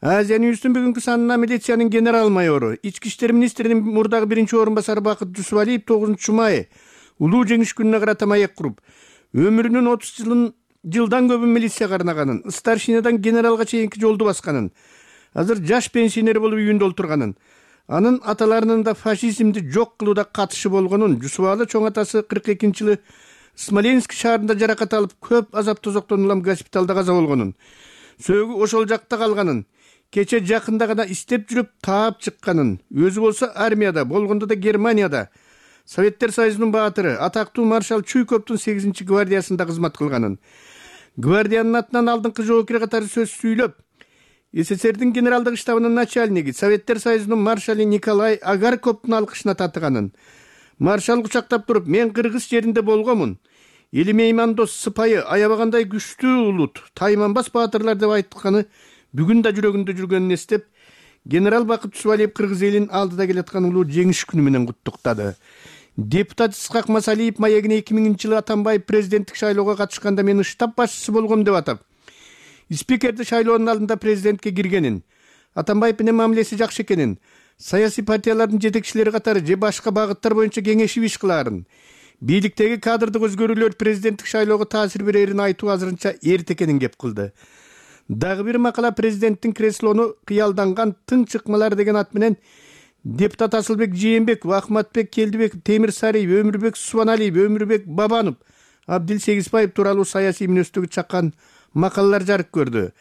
Азия Ньюстун бүгүнкү санына милициянын генерал майору, ички иштер министринин мурдагы биринчи орун басары Бакыт Жусубалиев 9 май улуу жеңиш күнүнө карата маек куруп, өмүрүнүн 30 жылдан көбүн милиция карнаганын, старшинадан генералга чейинки жолду басканын, азыр жаш пенсионер болуп үйүндө олтурганын, анын аталарынын да фашизмди жок кылууда катышы болгонун, Жусубалы чоң атасы 42-жылы Смоленск шаарында жаракат алып, көп азап тозоктон улам госпиталда каза болгонун, сөөгү ошол жакта калганын, кече жакында гана истеп жүрүп таап чыкканын, өзү болсо армияда, болгондо да Германияда, Советтер Союзунун баатыры, атактуу маршал Чуйковдун 8-гвардиясында кызмат кылганын, гвардиянын атынан алдыңкы жоокер катары сөз сүйлөп, СССРдин генералдык штабынын начальниги, Советтер Союзунун маршалы Николай Агарковдун алкышына татыганын, маршал кучактап туруп, мен кыргыз жеринде болгомун, элим меймандос, сыпайы, аябагандай күчтүү улут, тайманбас баатырлар деп айтканы бүгүн да жүрөгүндө жүргөнүн эстеп, генерал Бакыт Жусубалиев кыргыз элин алдыда келаткан улуу жеңиш күнү менен куттуктады. Депутат Исхак Масалиев маегине 2000-жылы Атамбаев президенттик шайлоого катышканда мени штаб башчысы болгом деп атап, спикерди шайлоонун алдында президентке киргенин, Атамбаев менен мамилеси жакшы экенин, саясий партиялардын жетекчилери катары же башка багыттар боюнча кеңешип иш кылаарын, бийликтеги кадрдык өзгөрүүлөр президенттик шайлоого таасир берерин айтуу азырынча эрте экенин кеп кылды. Дагы бир макала президенттин креслону кыялданган тың чыкмалар деген ат менен депутат Асылбек Жээнбеков, Ахматбек Келдибеков, Темир Сариев, Өмүрбек Субаналиев, Өмүрбек Бабанов, Абдил Сегизбаев тууралуу саясий мүнөздөгү чаккан макалалар жарык көрдү.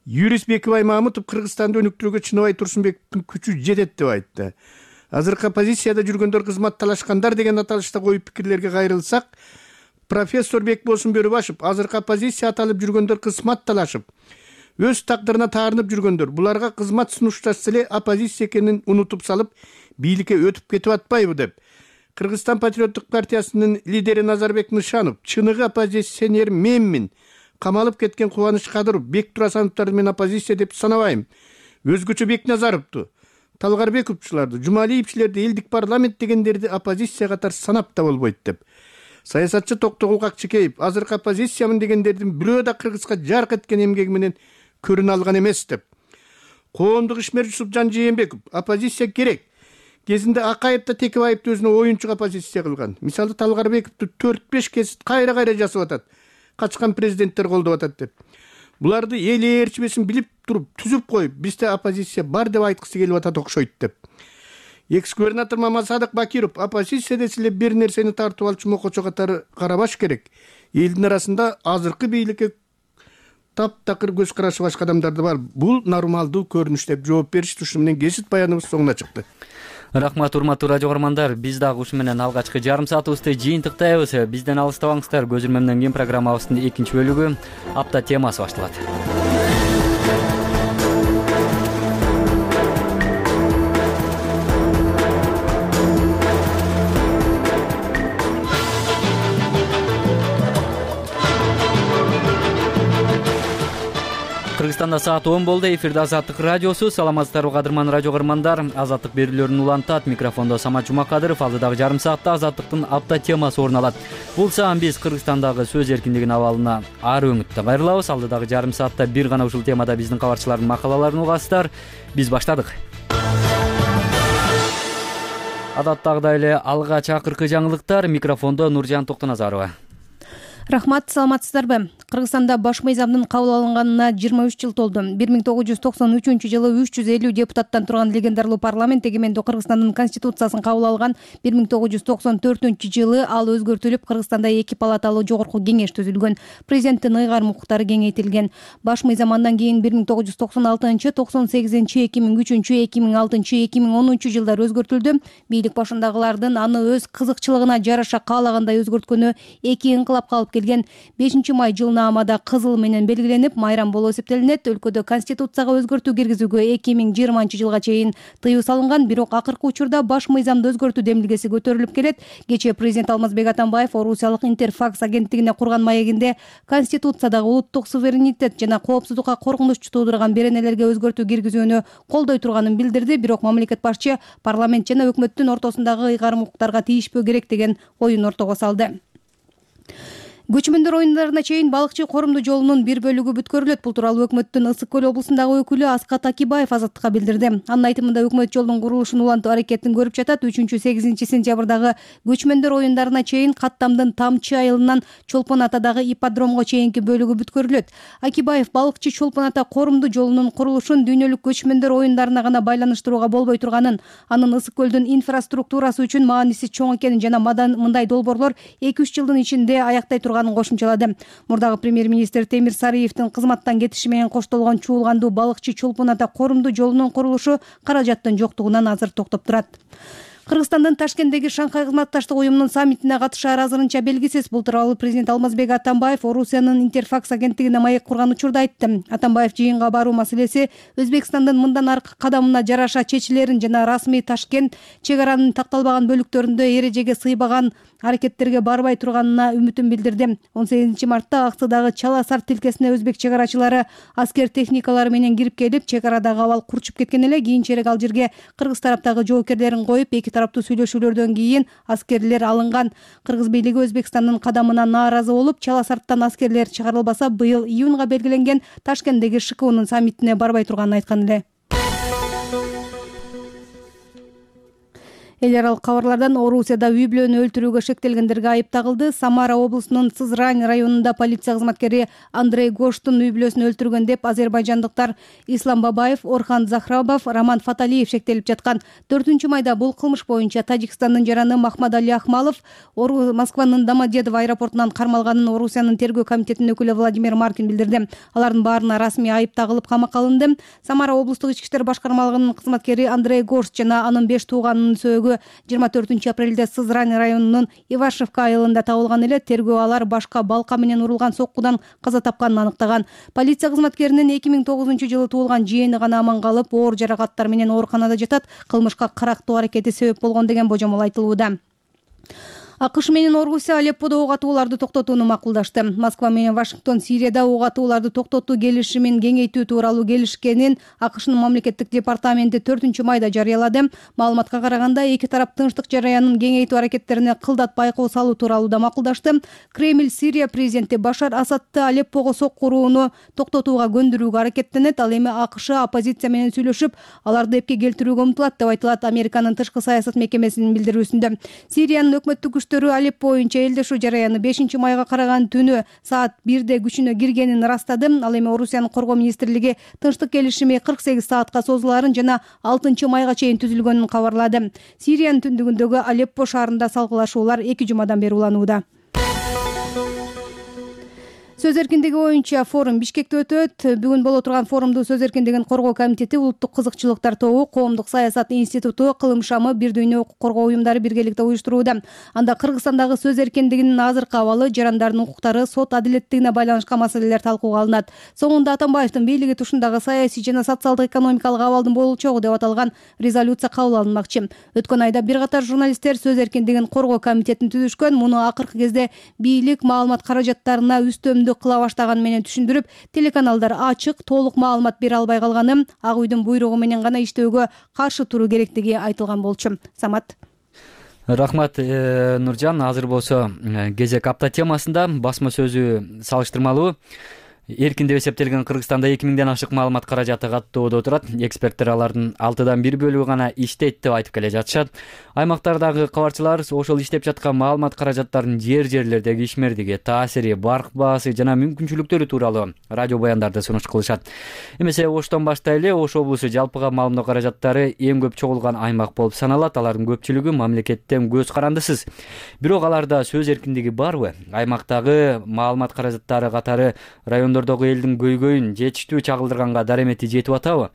Юрист Бекибай Мамутов Кыргызстанды өнүктүрүүгө Чыныбай Турсунбековдун күчү жетет деп айтты. Азыркы оппозицияда жүргөндөр кызмат талашкандар деген аталышта коюп пикирлерге кайрылсак, профессор Бекболсун Бөрүбашев азыркы оппозиция аталып жүргөндөр кызмат талашып, өз тагдырына таарынып жүргөндөр, буларга кызмат сунушташса эле оппозиция экенин унутуп салып, бийликке өтүп кетип атпайбы деп. Кыргызстан патриоттук партиясынын лидери Назарбек Нышанов, чыныгы оппозиционер менмин, камалып кеткен Кубаныч Кадыров, Бек Турасановдор мен оппозиция деп санабайм. Өзгөчө Бекназаровду, Талгарбековчуларды, Жумалиевчилерди, элдик парламент дегендерди оппозиция катары санап да болбойт деп. Саясатчы Токтогул Какчыкеев, азыркы оппозициямын дегендердин бирөө да кыргызга жарк эткен эмгеги менен көрүнө алган эмес деп. Коомдук ишмер Жусупжан Жээнбеков, оппозиция керек. Кезинде Акаев да Текебаевди өзүнө оюнчу оппозиция кылган. Мисалы Талгарбековду 4-5 кез кайра жасап атат. Качкан президенттер колдоп атат деп. Буларды эл ээрчимесин билип туруп, түзүп коюп, бизде оппозиция бар деп айткысы келип атат окшойт деп. Экс-губернатор Мамасадык Бакиров, оппозиция десе бир нерсени тартып алчу мокочо катары карабаш керек. Элдин арасында азыркы бийликке таптакыр көз карашы башка адамдар да бар. Бул нормалдуу көрүнүш деп жооп беришти. Ушу менен кесип баяныбыз соңуна чыкты. Рахмат, урматтуу радио көрөрмандар. Биз дагы ушу менен алгачкы жарым саатыбызды жыйынтыктайбыз. Бизден алыстабаңыздар. Көз ирмемден кийин программабыздын экинчи бөлүгү апта темасы башталат. Кыргызстанда саат 10 болду. Эфирде Азаттык радиосу. Саламатсыздарбы, кадырман радио көрөрмандар. Азаттык берүүлөрүн улантат. Микрофондо Самат Жумакадыров. Алдыдагы жарым саатта Азаттыктын апта темасы орун алат. Бул саам биз Кыргызстандагы сөз эркиндигинин абалына ары өңүттө кайрылабыз. Алдыдагы жарым саатта бир гана ушул темада биздин кабарчылардын макалаларын угасыздар. Биз баштадык. Адаттагыдай эле алгач акыркы жаңылыктар. Микрофондо Нуржан Токтоназарова. Рахмат, саламатсыздарбы? Кыргызстанда баш мыйзамдын кабыл алынганына 23 жыл толду. 1993-жылы 350 депутаттан турган легендарлуу парламент эгемендүү Кыргызстандын конституциясын кабыл алган. 1994-жылы ал өзгөртүлүп, Кыргызстанда 2 палаталуу жогорку кеңеш түзүлгөн. Президенттин ыйгарым укуктары кеңейтилген. Баш мыйзам андан кийин 1996, 98, 2003, 2006, 2010 жылдар өзгөртүлдү. Бийлик башындагылардын аны өз кызыкчылыгына жараша каалагандай өзгөрткөнү 2 инкылапка алып келген. 5-май жылнаамада кызыл менен белгиленип, майрам болуп эсептелинет. Өлкөдө конституцияга өзгөртүү киргизүүгө 2020 жылга чейин тыюу салынган, бирок акыркы учурда баш мыйзамды өзгөртүү демилгеси көтөрүлүп келет. Кечээ президент Алмазбек Атамбаев Орусиялык Интерфакс агенттигине курган маегинде конституциядагы улуттук суверенитет жана коопсуздукка коркунуч туудурган беренелерге өзгөртүү киргизүүнү колдой турганын билдирди. Бирок мамлекет башчы парламент жана өкмөттүн ортосундагы ыйгарым укуктарга тийишпөө керек деген оюн ортого салды. Көчмөндөр оюндарына чейин балыкчы корумду жолунун бир бөлүгү бүткөрүлөт. Бул тууралуу өкмөттүн Ысык көл облусундагы өкүлү Аскат Акибаев Азаттыкка билдирди. Анын айтымында өкмөт жолдун курулушун улантуу аракетин көрүп жатат. 3-8 сентябрдагы көчмөндөр оюндарына чейин Каттамдын Тамчы айылынан Чолпон Атадагы ипподромго чейинки бөлүгү бүткөрүлөт. Акибаев балыкчы Чолпон Ата корумду жолунун курулушун дүйнөлүк көчмөндөр оюндарына гана байланыштырууга болбой турганын, анын Ысык көлдүн инфраструктурасы үчүн мааниси чоң экенин жана мындай долбоорлор 2-3 жылдын ичинде аяктай кошумчалады. Мурдагы премьер-министр Темир Сарыевдин кызматтан кетиши менен коштолгон чуулгандуу балыкчы Чолпон Ата корумду жолунун курулушу каражаттын жоктугунан азыр токтоп турат. Кыргызстандын Ташкенттеги Шанхай кызматташтык уюмунун саммитине катышаары азырынча белгисиз. Бул тууралуу президент Алмазбек Атамбаев Орусиянын Интерфакс агенттигине маек курган учурда айтты. Атамбаев жыйынга баруу маселеси Өзбекстандын мындан аркы кадамына жараша чечилерин жана расмий Ташкент чек аранын такталбаган бөлүктөрүндө эрежеге сыйбаган аракеттерге барбай турганына үмүтүн билдирди. 18 мартта Аксыдагы Чала Сар тилкесине өзбек чек арачылары аскер техникалары менен кирип келип, чек арадагы абал курчуп кеткен эле. Кийинчерээк ал жерге кыргыз тараптагы жоокерлерин коюп, эки тараптуу сүйлөшүүлөрдөн кийин аскерлер алынган. Кыргыз бийлиги Өзбекстандын кадамына нааразы болуп, Чала Сарттан аскерлер чыгарылбаса, быйыл июнга белгиленген Ташкенттеги ШКУнун саммитине барбай турганын айткан эле. Эл аралык кабарлардан Орусияда үй бүлөнү өлтүрүүгө шектелгендерге айып тагылды. Самара облусунун Сызрань районунда полиция кызматкери Андрей Гоштун үй бүлөсүн өлтүргөн деп азербайжандыктар Ислам Бабаев, Орхан Захрабов, Роман Фаталиев шектелип жаткан. 4-майда бул кылмыш боюнча Тажикстандын жараны Махмадали Ахмалов Москванын Домодедово аэропортунан кармалганын Орусиянын тергөө комитетинин өкүлү Владимир Маркин билдирди. Алардын баарына расмий айып тагылып камакка алынды. Самара облустук ички иштер башкармалыгынын кызматкери Андрей Гошт жана анын 5 тууганынын сөөгү 24 апрелде Сызрань районунун Ивашевка айылында табылган эле. Тергөө алар башка балка менен урулган соккудан каза тапканын аныктаган. Полиция кызматкеринин 2009 жылы туулган жыйыны гана аман калып, оор жаракаттар менен ооруканада жатат. Кылмышка карактуу аракети себеп болгон деген божомол айтылууда. АКШ менен Орусия Алепподо ок атууларды токтотууну макулдашты. Москва менен Вашингтон Сирияда ок атууларды токтотуу келишимин кеңейтүү тууралуу келишкенин АКШнын мамлекеттик департаменти 4-майда жарыялады. Маалыматка караганда, эки тарап тынчтык жараянын кеңейтүү аракеттерине кылдат байкоо салуу тууралуу да макулдашты. Кремль Сирия президенти Башар Асадты Алеппого соккурууну токтотууга көндүрүүгө аракеттенет. Ал эми АКШ оппозиция менен сүйлөшүп, аларды эпке келтирүүгө умтулат деп айтылат Американын тышкы саясат мекемесинин билдирүүсүндө. Сириянын өкмөттүк Алеппо боюнча элдешүү жараяны 5-майга караган түнү саат 1-де күчүнө киргенин ырастады. Ал эми Орусиянын коргоо министрлиги тынчтык келишими 48 саатка созуларын жана 6-майга чейин түзүлгөнүн кабарлады. Сириянын түндүгүндөгү Алеппо шаарында салгылашуулар 2 жумадан бери уланууда. Сөз эркиндиги боюнча форум Бишкекте өтөт. Бүгүн боло турган форумду Сөз эркиндигин коргоо комитети, Улуттук кызыкчылыктар тобу, Коомдук саясат институту, Кылым шамы, Бир дүйнө укук коргоо уюмдары биргеликте уюштурууда. Анда Кыргызстандагы сөз эркиндигинин азыркы абалы, жарандардын укуктары, сот адилеттигине байланышкан маселелер талкууга алынат. Соңунда Атамбаевдин бийлиги тушундагы саясий жана социалдык экономикалык абалдын болчогу деп аталган резолюция кабыл алынмакчы. Өткөн айда бир катар журналисттер сөз эркиндигин коргоо комитетин түзүшкөн. Муну акыркы кезде бийлик маалымат каражаттарына үстөмдүк кыла баштаганы менен түшүндүрүп, телеканалдар ачык, толук маалымат бере албай калганын, Ак үйдүн буйругу менен гана иштөөгө каршы туруу керектиги айтылган болчу. Самат. Рахмат, Нуржан. Азыр болсо кезек апта темасында басма сөзү салыштырмалуу эркин деп эсептелген Кыргызстанда 2000ден ашык маалымат каражаты каттоодо турат. Эксперттер алардын 6дан 1 бөлүгү гана иштейт деп айтып келе жатышат. Аймактардагы кабарчылар ошол иштеп жаткан маалымат каражаттарынын жерлердеги ишмердиги, таасири, барк баасы жана мүмкүнчүлүктөрү тууралуу радио баяндарды сунуш кылышат. Эмесе Оштон баштайлы, Ош облусу жалпыга маалымат каражаттары эң көп чогулган аймак болуп саналат. Алардын көпчүлүгү мамлекеттен көз карандысыз. Бирок аларда сөз эркиндиги барбы? Аймактагы маалымат каражаттары катары райондордогу элдин көйгөйүн жетиштүү чагылдырганга даремети жетип атабы?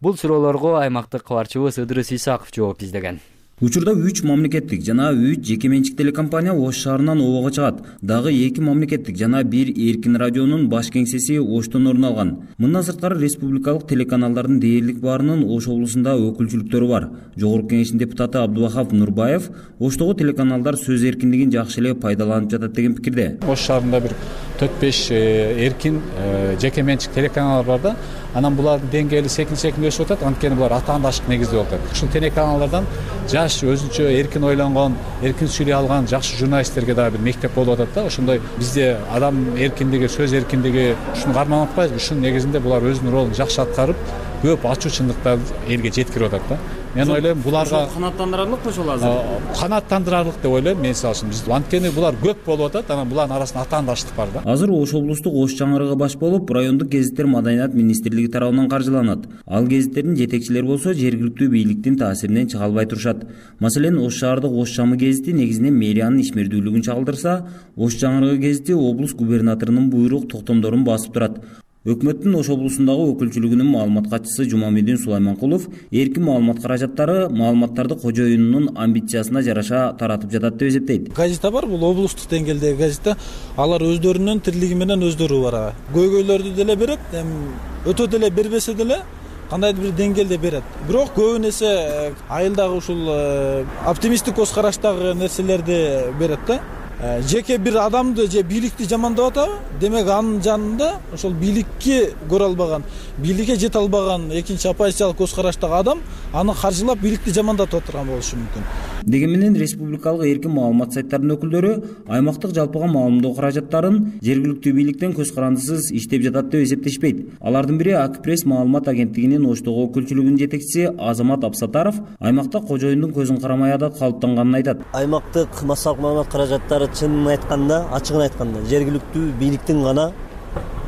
Бул суроолорго аймактык кабарчыбыз Ыдырыс Исаков жооп издеген. Учурда 3 мамлекеттик жана 3 жеке менчик телекомпания Ош шаарынан обого чыгат. Дагы 2 мамлекеттик жана 1 эркин радионун баш кеңсеси Оштон орун алган. Мындан сырткары республикалык телеканалдардын дээрлик баарынын Ош облусунда өкүлчүлүктөрү бар. Жогорку кеңештин депутаты Абдубахап Нурбаев Оштогу телеканалдар сөз эркиндигин жакшы эле пайдаланып жатат деген пикирде. Ош шаарында бир 4-5 эркин жеке менчик телеканалдар бар да. Анан булардын деңгээли секин өсүп атат. Анткени булар атаандашык негизде болуп атат. Ушул телеканалдардан жаш өзүнчө эркин ойлонгон, эркин сүйлөй алган жакшы журналисттерге дагы бир мектеп болуп атат да. Ошондой бизде адам эркиндиги, сөз эркиндиги ушуну карманып атпайбызбы? Ушунун негизинде булар өзүнүн ролун жакшы аткарып, көп ачуу чындыктарды элге жеткирип атат да. Мен ойлойм буларга канааттандырарлыкпы ошол азыр? Канааттандырарлык деп ойлойм мен салышым. Биз анткени булар көп болуп атат, анан булардын арасында атаандаштык бар да. Азыр Ош облустук Ош чаңырыгы баш болуп, райондук гезиттер Маданият министрлиги тарабынан каржыланат. Ал гезиттердин жетекчилери болсо жергиликтүү бийликтин таасиринен чыга албай турушат. Маселен, Ош шаардык Ош чамы гезити негизинен мэриянын ишмердүүлүгүн чагылдырса, Ош чаңырыгы гезити облус губернаторунун буйрук токтомдорун басып турат. Өкмөттүн Ош облусундагы өкүлчүлүгүнүн маалымат катчысы Жумамедин Сулайманкулов эркин маалымат каражаттары маалыматтарды кожоюнунун амбициясына жараша таратып жатат деп эсептейт. Газета бар, бул облустук деңгээлдеги газета. Алар өздөрүнүн тирлиги менен өздөрү бар. Көйгөйлөрдү деле берет, өтө деле бербесе деле кандайдыр бир деңгээлде берет. Бирок көбүн эсе айылдагы ушул оптимисттик көз караштагы нерселерди берет да. Жеке бир адамды же бийликти жамандап атабы? Демек анын жанында ошол бийликке көрө албаган, бийликке жете албаган экинчи оппозициялык көз караштагы адам аны каржылап бийликти жамандатып отурган болушу мүмкүн. Деги менен республикалык эркин маалымат сайттарынын өкүлдөрү аймактык жалпыга маалымдоо каражаттарын жергиликтүү бийликтен көз карандысыз иштеп жатат деп эсептешпейт. Алардын бири Акпресс маалымат агенттигинин Оштогу өкүлчүлүгүнүн жетекчиси Азамат Абсатаров аймакта кожоюндун көзүн карамай адат калыптанганын айтат. Аймактык массалык маалымат каражаттары чынын айтканда, ачыгын айтканда жергиликтүү бийликтин гана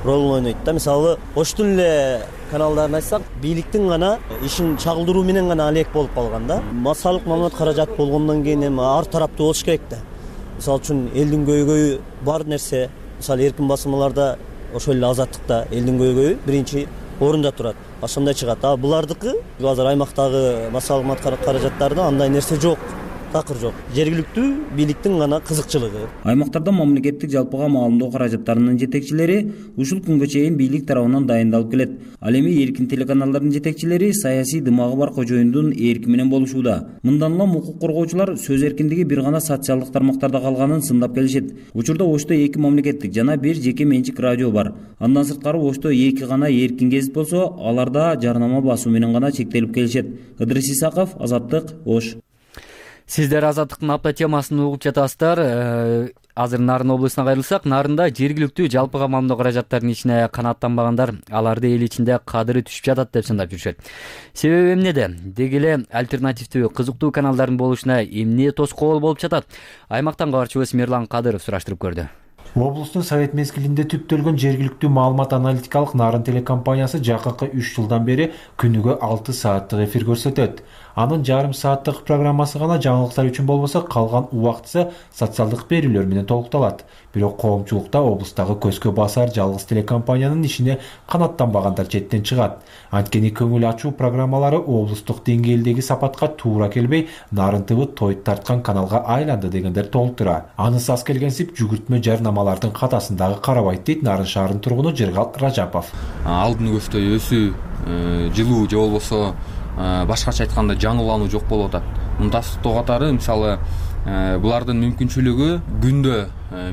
ролун ойнойт да. Мисалы, Оштун эле каналдарын айтсак, бийликтин гана ишин чагылдыруу менен гана алек болуп калган да. Массалык маалымат каражаты болгондон кийин эми ар тараптуу болуш керек да. Мисалы үчүн элдин көйгөйү бар нерсе, мисалы эркин басылмаларда ошол эле азаттыкта элдин көйгөйү биринчи орунда турат. Ошондой чыгат. А булардыкы азыр аймактагы массалык маалымат каражаттарында андай нерсе жок. Такыр жок. Жергиликтүү бийликтин гана кызыкчылыгы. Аймактарда мамлекеттик жалпыга маалымдоо каражаттарынын жетекчилери ушул күнгө чейин бийлик тарабынан дайындалып келет. Ал эми эркин телеканалдардын жетекчилери саясий дымагы бар кожоюндун эрки менен болушууда. Мындан улам укук коргоочулар сөз эркиндиги бир гана социалдык тармактарда калганын сындап келишет. Учурда Ошто 2 мамлекеттик жана 1 жеке менчик радио бар. Андан сырткары Ошто 2 гана эркин гезит болсо, аларда жарнама басуу менен гана чектелип келишет. Ыдырыс Исаков, Азаттык, Ош. Сиздер Азаттыктын апта темасын угуп жатасыздар. Азыр Нарын облусуна кайрылсак, Нарында жергиликтүү жалпыга маалымдоо каражаттарынын ичине канааттанбагандар аларды эл ичинде кадыры түшүп жатат деп сындап жүрүшөт. Себеби эмнеде? Деги эле альтернативдүү кызыктуу каналдардын болушуна эмне тоскоол болуп жатат? Аймактан кабарчыбыз Мерлан Кадыров сураштырып көрдү. Облустун совет мезгилинде түптөлгөн жергиликтүү маалымат аналитикалык Нарын телекомпаниясы жакынкы 3 жылдан бери күнүгө 6 сааттык эфир көрсөтөт. Анын жарым сааттык программасы гана жаңылыктар үчүн болбосо, калган убактысы социалдык берүүлөр менен толукталат. Бирок коомчулукта облустагы көзгө басар жалгыз телекомпаниянын ишине канаттанбагандар четтен чыгат. Анткени көңүл ачуу программалары облустук деңгээлдеги сапатка туура келбей, нарынтыбы тойт тарткан каналга айланды дегендер толтура. Анысы аз келгенсип жүгүртмө жарнамалардын катасындагы карабайт дейт Нарын шаарынын тургуну Жыргал Ражапов. Алдын көздөй өсүү, жылуу же болбосо башкача айтканда жаңылануу жок болуп атат. Мундастыктоо катары мисалы булардын мүмкүнчүлүгү күндө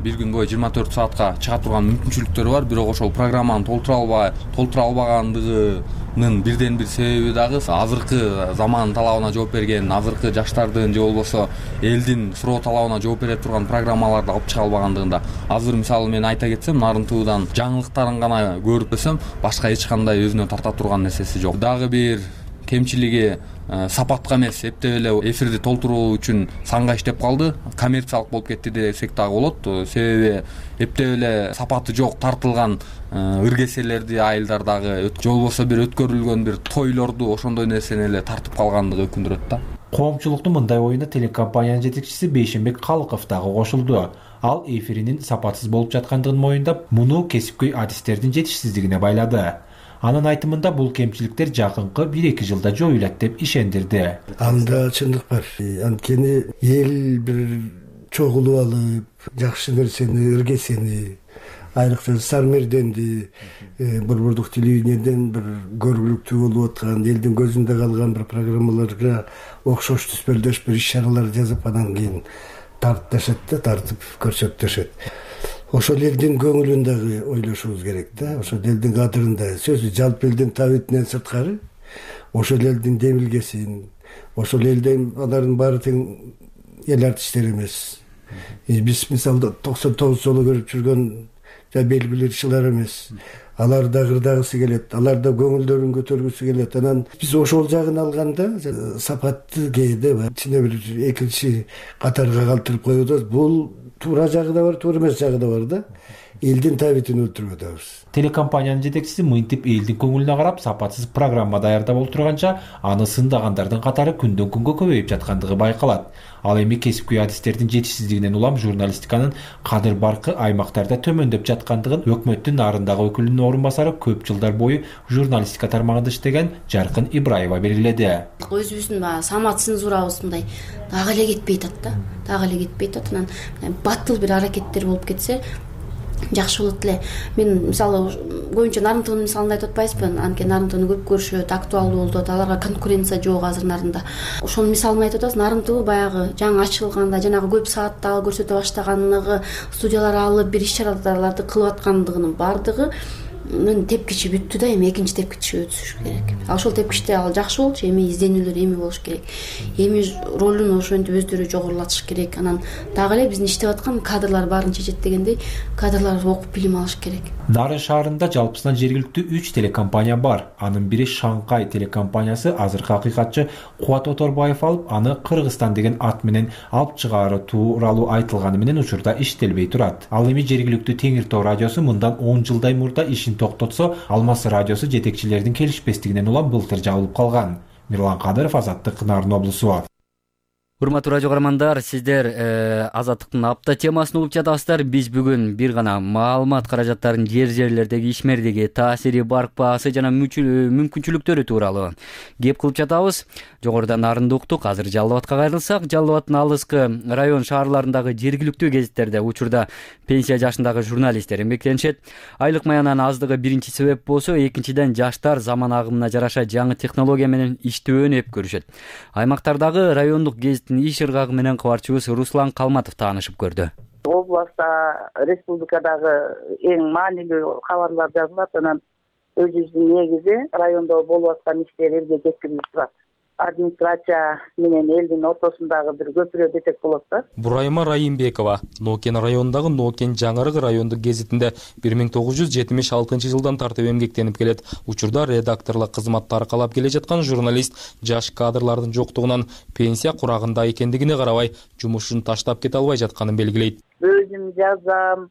бир күн бою 24 саатка чыга турган мүмкүнчүлүктөрү бар, бирок ошол программаны толтура албаганын бирден бир себеби дагы азыркы заман талабына жооп берген, азыркы жаштардын же болбосо элдин суроо талабына жооп бере турган программаларды алып чыга албагандыгында. Азыр мисалы мен айта кетсем, Нарынтуудан жаңылыктарын гана көрүп өсөм, башка эч кандай өзүнө тарта турган нерсеси жок. Дагы бир кемчилиги сапатка эмес, эптеп эле эфирди толтуруу үчүн санга иштеп калды, коммерциялык болуп кетти десек дагы болот. Себеби эптеп эле сапаты жок тартылган ыргеселерди айылдар дагы же болбосо бир өткөрүлгөн бир тойлорду ошондой нерсени эле тартып калгандыгы өкүндүрөт да. Коомчулуктун мындай оюна телекомпаниянын жетекчиси Бейшенбек Калыков дагы кошулду. Ал эфиринин сапатсыз болуп жаткандыгын моюндап, муну кесипкөй адистердин жетишсиздигине байлады. Анын айтымында бул кемчиликтер жакынкы 1-2 жылда жоюлат деп ишендирди. Анда чындык бар. Анткени эл бир чогулуп алып, жакшы нерсени, ыргесени, айрыкча Сармерденди, Борбордук телевидениеден бир көргүлүктүү болуп аткан, элдин көзүндө калган бир программаларга окшош түспөлдөш бир иш-чаралар жазып, анан кийин тартып көрсөтүшөт. Ошол элдин көңүлүн дагы ойлошубуз керек да. Ошол элдин кадырында, сөзү жалпы элдин табитинен сырткары, ошол элдин демилгесин, ошол элдин алардын баары тең эл артисттери эмес. Биз мисалы 99 жолу көрүп жүргөн белгилүү ырчылар эмес. Алар да кырдагысы келет, алар да көңүлдөрүн көтөргүсү келет. Анан биз ошол жагын алганда сапатты кээде ичине бир экинчи катарга калтырып коюп атабыз. Бул туура жагы да бар, туура эмес жагы да бар да. Элдин табитин өлтүрүп атабыз. Телекомпаниянын жетекчиси мынтип элдин көңүлүнө карап сапатсыз программа даярдап олтурганча, аны сындагандардын катары күндөн күнгө көбөйүп жаткандыгы байкалат. Ал эми кесипкөй адистердин жетишсиздигинен улам журналистиканын кадыр баркы аймактарда төмөндөп жаткандыгын өкмөттүн Нарындагы өкүлүнүн орун басары көп жылдар бою журналистика тармагында иштеген Жаркын Ибраева белгиледи. Өзүбүздүн самат цензурабыз мындай дагы эле кетпей атат. Анан батыл бир аракеттер болуп кетсе жакшы болот эле. Мен мисалы көбүнчө Нарынтуунун мисалын айтып атпайсызбы? Анткени Нарынтууну көп көрүшөт, актуалдуу болот, аларга конкуренция жок азыр Нарында. Ошонун мисалын айтып атабыз. Нарынтуу баягы жаңы ачылганда, жанагы көп сааттагы көрсөтө баштаганлыгы, студиялар алып бир иш-чараларды кылып аткандыгынын бардыгы тепкичи бүттү да, эми экинчи тепкичи өтүш керек. Ошол тепкичте ал жакшы болчу, эми изденүүлөр эми болуш керек. Эми ролун ошентип өздөрү жогорулатыш керек. Анан дагы эле биздин иштеп аткан кадрлар баарын чечет дегендей, кадрлар окуп билим алыш керек. Нарын шаарында жалпысынан жергиликтүү 3 телекомпания бар. Анын бири Шанкай телекомпаниясы азыркы акыйкатчы Кубат Оторбаев алып, аны Кыргызстан деген ат менен алып чыгаары тууралуу айтылганы менен учурда иштелбей турат. Ал эми жергиликтүү Теңир Тоо радиосу мындан 10 жылдай мурда ишин токтотсо, Алмаз радиосу жетекчилердин келишпестигинен улам былтыр жабылып калган. Мирлан Кадыров, Азаттык, Нарын облусу. Урматтуу радио көрөрмандар, сиздер Азаттыктын апта темасын угуп жатасыздар. Биз бүгүн бир гана маалымат каражаттарын жерлердеги ишмердиги таасири, баркпаасы жана мүмкүнчүлүктөрү тууралуу кеп кылып жатабыз. Жогоруда Нарынды уктук, азыр Жалал Абадка кайрылсак, Жалал Абадтын алыскы район шаарларындагы жергиликтүү гезиттерде учурда пенсия жашындагы журналисттер эмгектенишет. Айлык маянанын аздыгы биринчи себеп болсо, экинчиден жаштар заман агымына жараша жаңы технология менен иштөөнү эп көрүшөт. Аймактардагы райондук гезиттин иш ыргагы менен кабарчыбыз Руслан Калматов таанышып көрдү. Областта, республикадагы эң маанилүү кабарлар жазылат, анан өзүбүздүн негизи райондо болуп аткан иштер элге жеткирилип турат. Администрация менен элдин ортосундагы бир көпүрө десек болот да. Бурайма Райымбекова Нокен районундагы Нокен Жаңырык райондук гезитинде 1976 жылдан тартып эмгектенип келет. Учурда редакторлук кызматты аркалап келе жаткан журналист жаш кадрлардын жоктугунан пенсия курагында экендигине карабай, жумушун таштап кете албай жатканын белгилейт. Өзүм жазам,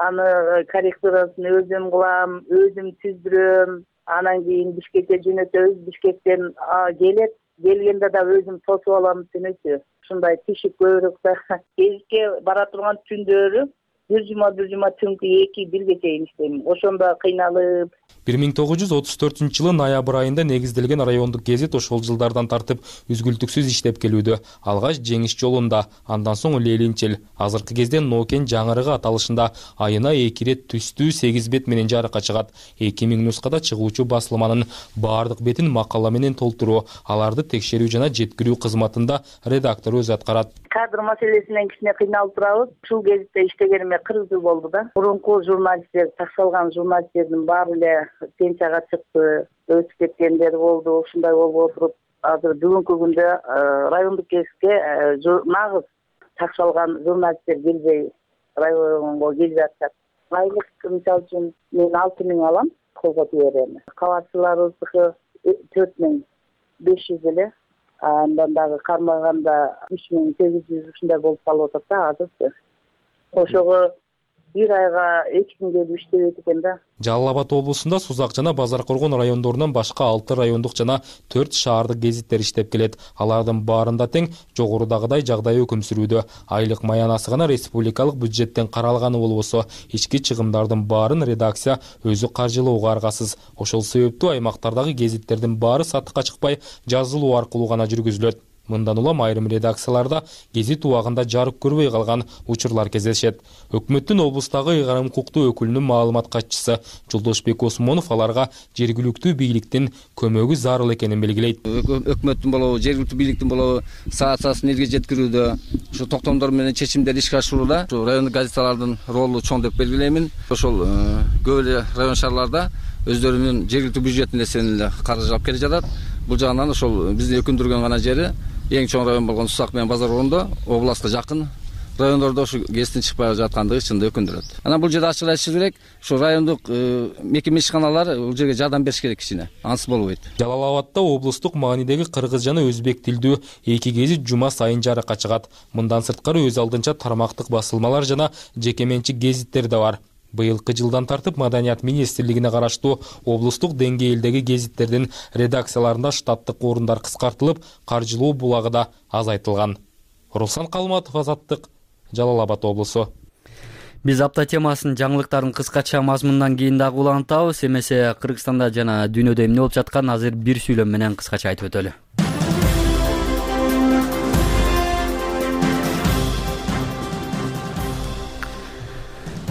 аны корректурасын өзүм кылам, өзүм түздүрөм. Анан кийин Бишкекке жөнөтөбүз, Бишкектен келет, келгенде да өзүм тосуп алам түнөчү. Ушундай тишип көбүрөөк да гезитке бара турган түндөрү бир жума түнкү 2-1 чейин иштейм. Ошондо кыйналып. 1934 жылы ноябрь айында негизделген райондук гезит ошол жылдардан тартып үзгүлтүксүз иштеп келүүдө. Алгач Жеңиш жолунда, андан соң Лелинчел, азыркы кезде Нокен жаңырыгы аталышында айына 2 рет түстүү 8 бет менен жарыкка чыгат. 2000 нускада чыгуучу басылманын баардык бетин макала менен толтуруу, аларды текшерүү жана жеткирүү кызматында редактор өзү аткарат. Кадр маселесинен кичине кыйналып турабыз. Ушул гезитте иштегениме 40 жыл болду да. Мурунку журналисттер, такшалган журналисттердин баары эле пенсияга чыкты, өтүп кеткендер болду. Ушундай болуп отуруп, азыр бүгүнкү күндө райондук гезитке нагыз такшалган журналисттер келбей районго келип жатышат. Айлык мисалы үчүн мен 6000 алам, колго берем. Кабарчыларыбыздыкы 4500 эле. Андан дагы кармаганда 3800 ушундай болуп калып атат да азыр. Ошого бир айга 2 күн келип иштебейт экен да. Жалал Абад облусунда Сузак жана Базар Коргон райондорунан башка 6 райондук жана 4 шаардык гезиттер иштеп келет. Алардын баарында тең жогорудагыдай жагдай өкүм сүрүүдө. Айлык маянасы гана республикалык бюджеттен каралганы болбосо, ички чыгымдардын баарын редакция өзү каржылоого аргасыз. Ошол себептүү аймактардагы гезиттердин баары сатыкка чыкпай, жазылуу аркылуу гана жүргүзүлөт. Мындан улам айрым редакцияларда гезит убагында жарык көрбөй калган учурлар кездешет. Өкмөттүн облустагы ыйгарым укуктуу өкүлүнүн маалымат катчысы Жолдошбек Осмонов аларга жергиликтүү бийликтин көмөгү зарыл экенин белгилейт. Өкмөттүн болобу, жергиликтүү бийликтин болобу саат-саасын элге жеткирүүдө, ушу токтомдор менен чечимдер ишке ашырууда райондук газеталардын ролу чоң деп белгилеймин. Ошол көп эле район шаарларда өздөрүнүн жергиликтүү бюджетин эсебинен эле каржылап келе жатат. Бул жагынан ошол бизди өкүндүргөн гана жери эң чоң район болгон Сузак менен Базар Коргондо областка жакын райондордо ушу гезиттин чыкпай жаткандыгы чынында өкүндүрөт. Анан бул жерде ачык айтышыбыз керек, ушу райондук мекеме ишканалар бул жерге жардам бериш керек кичине. Ансыз болбойт. Жалал Абадда облустук маанидеги кыргыз жана өзбек тилдүү 2 гезит жума сайын жарыкка чыгат. Мындан сырткары өз алдынча тармактык басылмалар жана жеке менчик гезиттер да бар. Быйылкы жылдан тартып Маданият министрлигине караштуу облустук деңгээлдеги гезиттердин редакцияларында штаттык орундар кыскартылып, каржылоо булагы да азайтылган. Руслан Калматов, Азаттык, Жалал Абад облусу. Биз апта темасын жаңылыктардын кыскача мазмунунан кийин дагы улантабыз. Эмесе Кыргызстанда жана дүйнөдө эмне болуп жаткан азыр бир сүйлөм менен кыскача айтып өтөлү.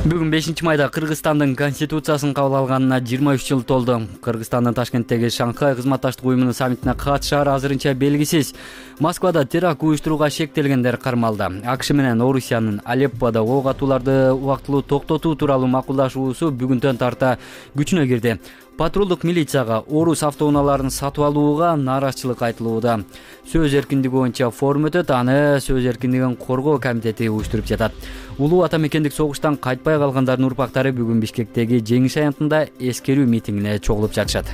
Бүгүн 5-майда Кыргызстандын конституциясын кабыл алганына 23 жыл толду. Кыргызстандын Ташкенттеги Шанхай кызматташтык уюмунун саммитине катышаары азырынча белгисиз. Москвада теракт уюштурууга шектелгендер кармалды. АКШ менен Орусиянын Алепподо ок атууларды убактылуу токтотуу тууралуу макулдашуусу бүгүндөн тарта күчүнө кирди. Патрулдук милицияга орус автоунааларын сатып алууга нааразычылык айтылууда. Сөз эркиндиги боюнча форум өтөт, аны сөз эркиндигин коргоо комитети уюштуруп жатат. Улуу ата мекендик согуштан кайтпай калгандардын урпактары бүгүн Бишкектеги Жеңиш аянтында эскерүү митингине чогулуп жатышат.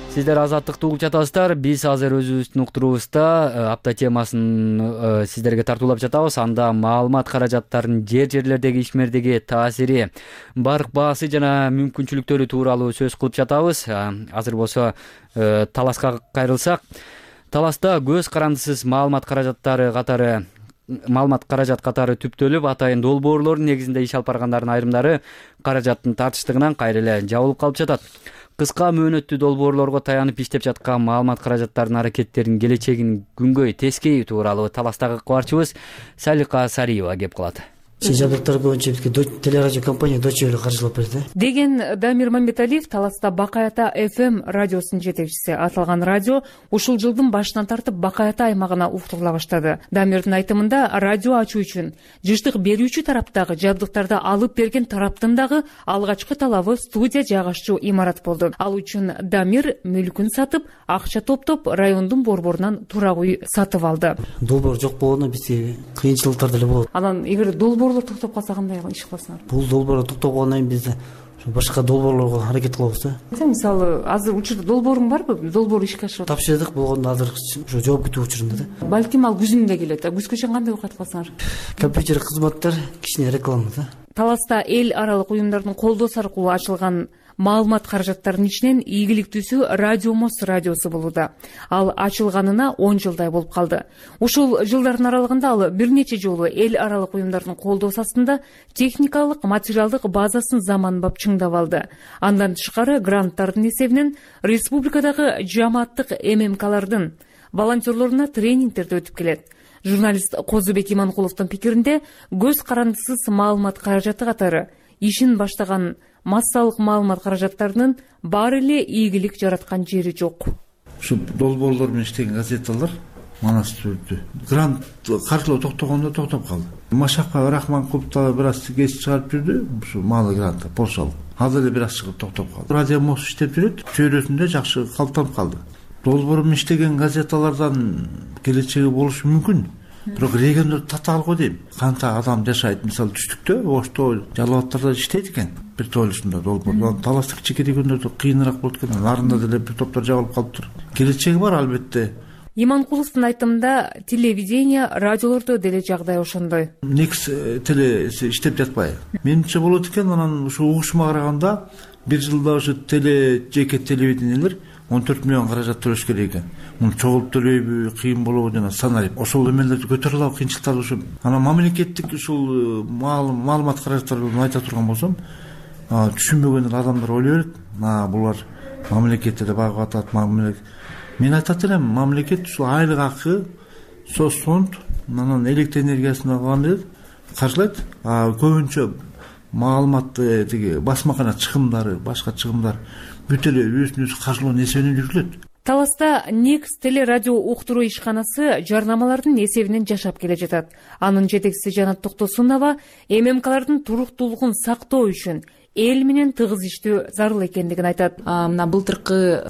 Сиздер Азаттыкты угуп жатасыздар. Биз азыр өзүбүздүн уктуруубузда апта темасын сиздерге тартуулап жатабыз. Анда маалымат каражаттарынын жерлердеги ишмердиги таасири, барк баасы жана мүмкүнчүлүктөрү тууралуу сөз кылып жатабыз. Азыр болсо Таласка кайрылсак, Таласта көз карандысыз маалымат каражат катары түптөлүп, атайын долбоорлордун негизинде иш алып баргандардын айрымдары каражаттын тартыштыгынан кайра эле жабылып калып жатат. Кыска мөөнөттүү долбоорлорго таянып иштеп жаткан маалымат каражаттарынын аракеттеринин келечегин күнгөй тескейи тууралуу Таластагы кабарчыбыз Салика Сариева кеп кылат. Жабдыктар боюнча телерадио компания Deutsche Welle каржылап берди деген Дамир Мамбеталиев Таласта Бакаята FM радиосунун жетекчиси. Аталган радио ушул жылдын башынан тартып Бакаята аймагына уктурула баштады. Дамирдин айтымында радио ачуу үчүн жыштык берүүчү тараптагы жабдыктарды алып берген тараптын дагы алгачкы талабы студия жайгашчу имарат болду. Ал үчүн Дамир мүлкүн сатып, акча топтоп, райондун борборунан турак үй сатып алды. Долбоор жок болгондо бизге кыйынчылыктар деле болот. Анан эгер долбоорлор токтоп калса кандай иш кыласыңар? Бул долбоор токтоп калгандан кийин биз башка долбоорлорго аракет кылабыз да. Мисалы, азыр учурда долбооруң барбы? Долбоор ишке ашырып тапшырдык болгондо азыр ушу жооп күтүү учурунда да. Балким ал күзүндө келет. Күзгө чейин кандай убакыт кыласыңар? Компьютер кызматтар, кичине реклама да. Таласта эл аралык уюмдардын колдоосу аркылуу ачылган маалымат каражаттарынын ичинен ийгиликтүүсү Радио Мост радиосу болууда. Ал ачылганына 10 жылдай болуп калды. Ушул жылдардын аралыгында ал бир нече жолу эл аралык уюмдардын колдоосу астында техникалык, материалдык базасын заманбап чыңдап алды. Андан тышкары гранттардын эсебинен республикадагы жамааттык ММКлардын волонтерлоруна тренингтерди өтүп келет. Журналист Козубек Иманкуловдун пикиринде, көз карандысыз маалымат каражаты катары ишин баштаган массалык маалымат каражаттарынын баары эле ийгилик жараткан жери жок. Ушу долбоорлор менен иштеген газеталар манас түрдү. Грант каржылоо токтогондо токтоп калды. Машакка Рахманкулов да бир аз кеч чыгарып жүрдү, ушу маалы грант Польшалык. Ал деле бир аз чыгып токтоп калды. Радио Мост иштеп жүрөт, чөйрөсүндө жакшы калыптанып калды. Долбоор менен иштеген газеталардан келечеги болушу мүмкүн. Бирок региондо татаал дейм. Канча адам жашайт, мисалы түштүктө, Ошто, Жалал Абадта иштейт экен. Бир тойлушунда долбоор. Таласта кичине күндөрдө кыйыныраак болот экен. Нарында деле бир топтор жабылып калыптыр. Келечеги бар албетте. Иманкуловдун айтымында телевидение, радиолордо деле жагдай ошондой. Некс теле иштеп жатпайбы? Менимче болот экен, анан ушу угушума караганда бир жылда ушу жеке телевидениелер 14 миллион каражат төлөш керек экен. Муну чогулуп төлөйбү, кыйын болобу жана саналып. Ошол эмелерди көтөрө алабы, кыйынчылыктарды ушул. Анан мамлекеттик ушул маалымат каражаттарын айта турган болсом, түшүнбөгөн адамдар ойлой берет. Булар мамлекетте да багып атат, Мен айтат элем, мамлекет ушул айлык акы, соцфонд, анан электр энергиясына алганда каржылайт. Көбүнчө маалыматты тиги басмакана чыгымдары, башка чыгымдар бүт эле өзүнүн каржылоонун эсебинен жүргүлөт. Таласта Некс телерадио уктуруу ишканасы жарнамалардын эсебинен жашап келе жатат. Анын жетекчиси Жанат Токтосунова ММКлардын туруктуулугун сактоо үчүн эл менен тыгыз иштөө зарыл экендигин айтат. Мына былтыркы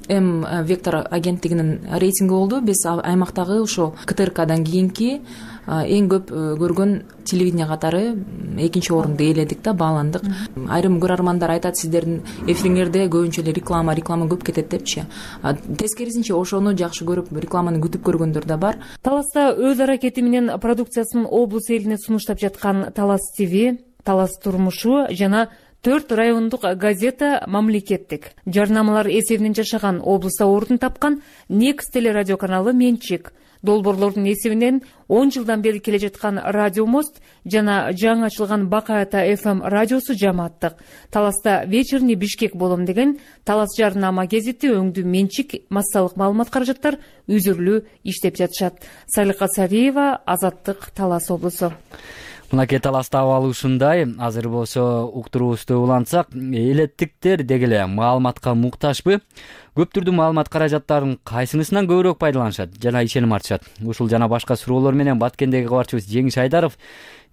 Вектор агенттигинин рейтинги болду. Биз аймактагы ошо КТРКдан кийинки эң көп көргөн телевидение катары экинчи орунду ээледик да, бааландык. Айрым көрөрмандар айтат, сиздердин эфириңерде көбүнчө эле реклама көп кетет депчи. Тескерисинче ошону жакшы көрүп, рекламаны күтүп көргөндөр да бар. Таласта өз аракети менен продукциясын облус элине сунуштап жаткан Талас ТВ, Талас турмушу жана 4 райондук газета мамлекеттик. Жарнамалар эсебинен жашаган, облуста ордун тапкан Некс телерадио каналы менчик. Долбоорлордун эсебинен 10 жылдан бери келе жаткан Радио Мост жана жаңы ачылган Бакаята FM радиосу жамааттык. Таласта вечерний Бишкек болом деген Талас жарнама гезити өңдүү менчик массалык маалымат каражаттар үзүрлүү иштеп жатышат. Салика Сариева, Азаттык, Талас облусу. Мынакей Таласта абалы ушундай. Азыр болсо уктуруубузду улантсак, элеттиктер деги эле маалыматка муктажбы? Көптүрдүү маалымат каражаттарынын кайсынысынан көбүрөөк пайдаланышат жана ишеним артышат? Ушул жана башка суроолор менен Баткендеги кабарчыбыз Жеңиш Айдаров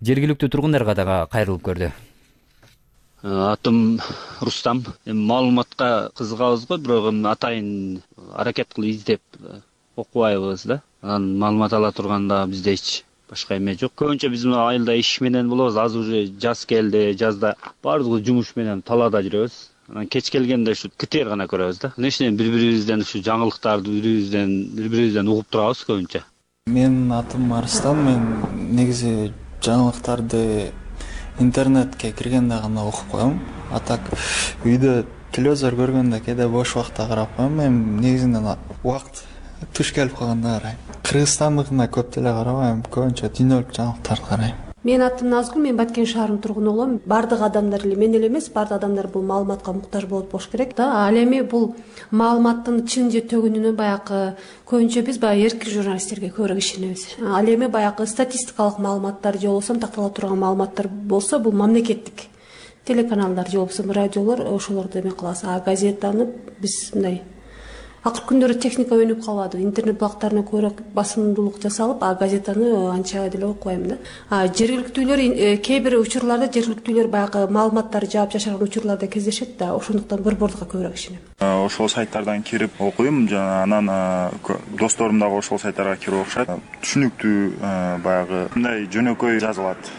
жергиликтүү тургундарга дагы кайрылып көрдү. Атым Рустам. Маалыматка кызыгабыз го, бирок атайын аракет кылып издеп окубайбыз да. Анан маалымат ала турганда бизде эч башка эме жок. Көбүнчө биз айылда иш менен болобуз. Азыр уже жаз келди, жазда баардыгы жумуш менен талаада жүрөбүз. Анан кеч келгенде ушу КТР гана көрөбүз да. Нечен бири-бирибизден ушу жаңылыктарды бири-бирибизден угуп турабыз көбүнчө. Менин атым Арыстан. Мен негизи жаңылыктарды интернетке киргенде гана окуп коем. А так үйдө телевизор көргөндө кээде бош убакта карап коем. Мен негизинен убакыт туш келип калганда карайм. Кыргызстандыкына көп деле карабайм, көбүнчө дүйнөлүк жаңылыктарды карайм. Мен атым Назгүл, мен Баткен шаарынын тургуну болом. Бардык адамдар эле, мен эле эмес, бардык адамдар бул маалыматка муктаж болот болуш керек да. Ал эми бул маалыматтын чын же төгүнүнө баягы көбүнчө биз баягы эркин журналисттерге көбүрөөк ишенебиз. Ал эми баягы статистикалык маалыматтар же болбосо тактала турган маалыматтар болсо, бул мамлекеттик телеканалдар же болбосо радиолор ошолорду эме кылабыз. А газетаны биз мындай акыркы күндөрдө техника өнүп калбады. Интернет булактарына көбүрөөк басымдуулук жасалып, газетаны анча деле окубайм да. Жергиликтүүлөр кээ бир учурларда жергиликтүүлөр баягы маалыматтарды жаап жашырган учурларда кездешет да. Ошондуктан борбордукка көбүрөөк ишенем. Ошол сайттардан кирип окуйм, жана анан досторум дагы ошол сайттарга кирип окушат. Түшүнүктүү баягы мындай жөнөкөй жазылат.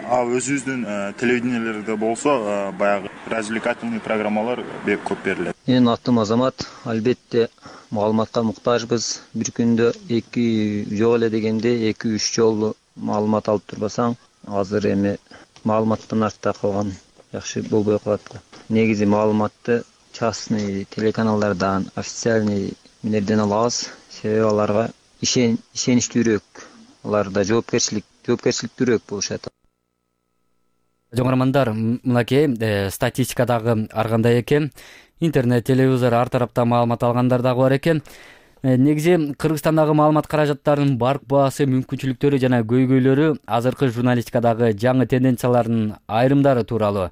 Ал өзүбүздүн телевидениелерде болсо баягы развлекательный программалар бек көп берилет. Менин атым Азамат. Албетте маалыматка муктажбыз. Бир күндө 2 жол эле дегенде 2-3 жолу маалымат алып турбасаң, азыр эми маалыматтан артта калган жакшы болбой калат да. негизи маалыматты частный телеканалдардан, официальный минерден алабыз. Себеби аларга ишеничтүүрөөк, аларда жоопкерчиликтүүрөөк болушат. Жоңармандар, мынакей статистика дагы ар кандай экен. Интернет, телевизор, ар тарапта маалымат алгандар дагы бар экен. Негизи Кыргызстандагы маалымат каражаттарынын баркпасы, мүмкүнчүлүктөрү жана көйгөйлөрү азыркы журналистикадагы жаңы тенденциялардын айрымдары тууралуу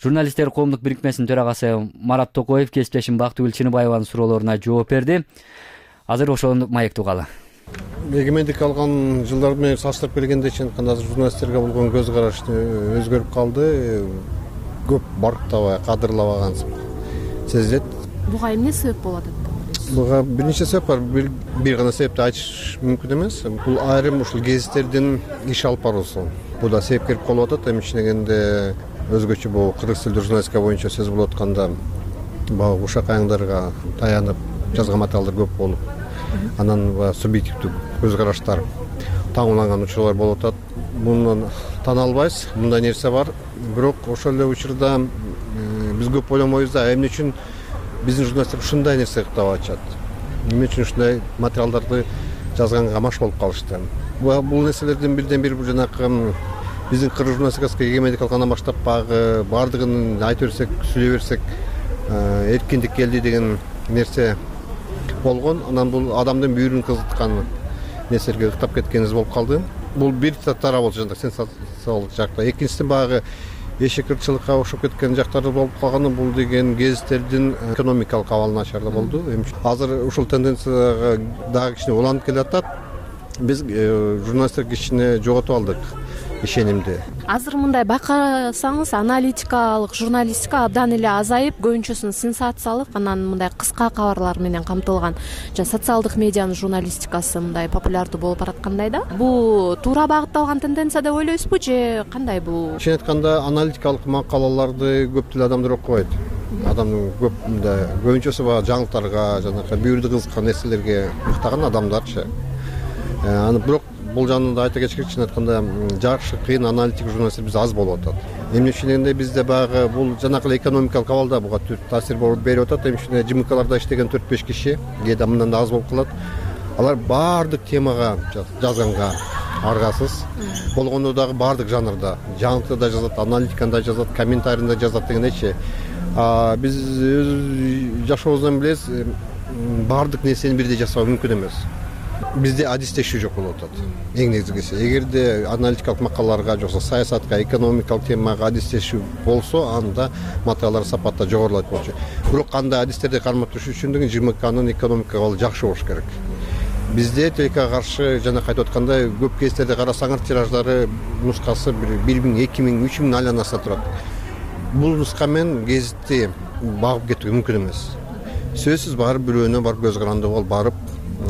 журналисттер коомдук бирикмесинин төрагасы Марат Токоев кесиптешим Бактыгүл Чыныбаеванын суроолоруна жооп берди. Азыр ошону маектеп угалы. Эгемендик алган жылдар менен салыштырып келгенде чыныкында журналисттерге болгон көз караш өзгөрүп калды. Көп барктабай, кадырлабаган сезилет. Буга эмне себеп болот? Буга бир нече себеп бар. Бир гана себепти айтыш мүмкүн эмес. Бул айрым ушул гезиттердин иш алып баруусу. Бул да себепкер болуп атат. Эми ичинегенде өзгөчө бул кыргыз тилдүү журналистика боюнча сөз болуп атканда баягы ушак айыңдарга таянып жазган материалдар көп болуп, анан субъективдүү көз караштар таңууланган учурлар болуп атат. Муну тана албайбыз. Мындай нерсе бар. Бирок ошол эле учурда биз көп ойлонбойбуз да, эмне үчүн биздин журналисттер ушундай нерсе кыттап атышат? Эмне үчүн ушундай материалдарды жазганга маш болуп калышты? Бул нерселердин бирден бири жанагы биздин кыргыз журналистикасына эгемендик алгандан баштап багы баардыгын айта берсек, сүйлөй берсек, эркиндик келди деген нерсе болгон. Анан бул адамдын бүйүрүн кызыткан нерселерге ыктап кеткенибиз болуп калды. Бул бир тарап болчу, жана сенсациялык жакта. Экинчиси багы эшек ырчылыкка окшоп кеткен жактары болуп калганы, бул деген гезиттердин экономикалык абалы начар болду. Азыр ушул тенденцияга дагы кичине уланып келатат. Биз журналисттер кичине жоготуп алдык ишенимди. Азыр мындай байкасаңыз, аналитикалык журналистика абдан эле азайып, көбүнчөсүн сенсациялык, анан мындай кыска кабарлар менен камтылган жана социалдык медианын журналистикасы мындай популярдуу болуп бараткандай да. Бул туура багытталган тенденция деп ойлойсузбу же кандай бул? Чын айтканда аналитикалык макалаларды көп деле адамдар окубайт. Адамдын көп мындай көбүнчөсү баягы жаңылыктарга, жанагы бүйүрдү кызыккан нерселерге мыктаган адамдарчы. Аны бирок бул жанында айта кетишкек, чын айтканда жакшы, кыйын аналитик журналисттер бизде аз болуп атат. Эмне үчүн дегенде бизде баягы бул жанагы экономикалык абалда буга таасир берип атат. Эмне үчүн ЖМКларда иштеген 4-5 киши, кээде мындан да аз болуп калат. Алар баардык темага жазганга аргасыз. Болгондо дагы баардык жанрда, жаңылыкта да жазат, аналитикада жазат, комментарийда жазат дегендейчи. Биз жашообуздан билебиз, баардык нерсени бирдей жасоо мүмкүн эмес. Бизде адистешүү жок болуп атат. Эң негизгиси, эгерде аналитикалык макалаларга жоксо саясатка, экономикалык темага адистешүү болсо, анда материалдар сапаты жогорулайт болчу. Бирок кандай адистерди кармап туруш үчүн деген ЖМКнын экономика абалы жакшы болуш керек. Бизде телекага каршы жана кайтып аткандай көп кездерде карасаңар, тираждары нускасы 1000, 2000, 3000 айланасында турат. Бул нуска менен гезитти багып кетүү мүмкүн эмес. Сөзсүз барып бирөөнө барып көз каранды болуп барып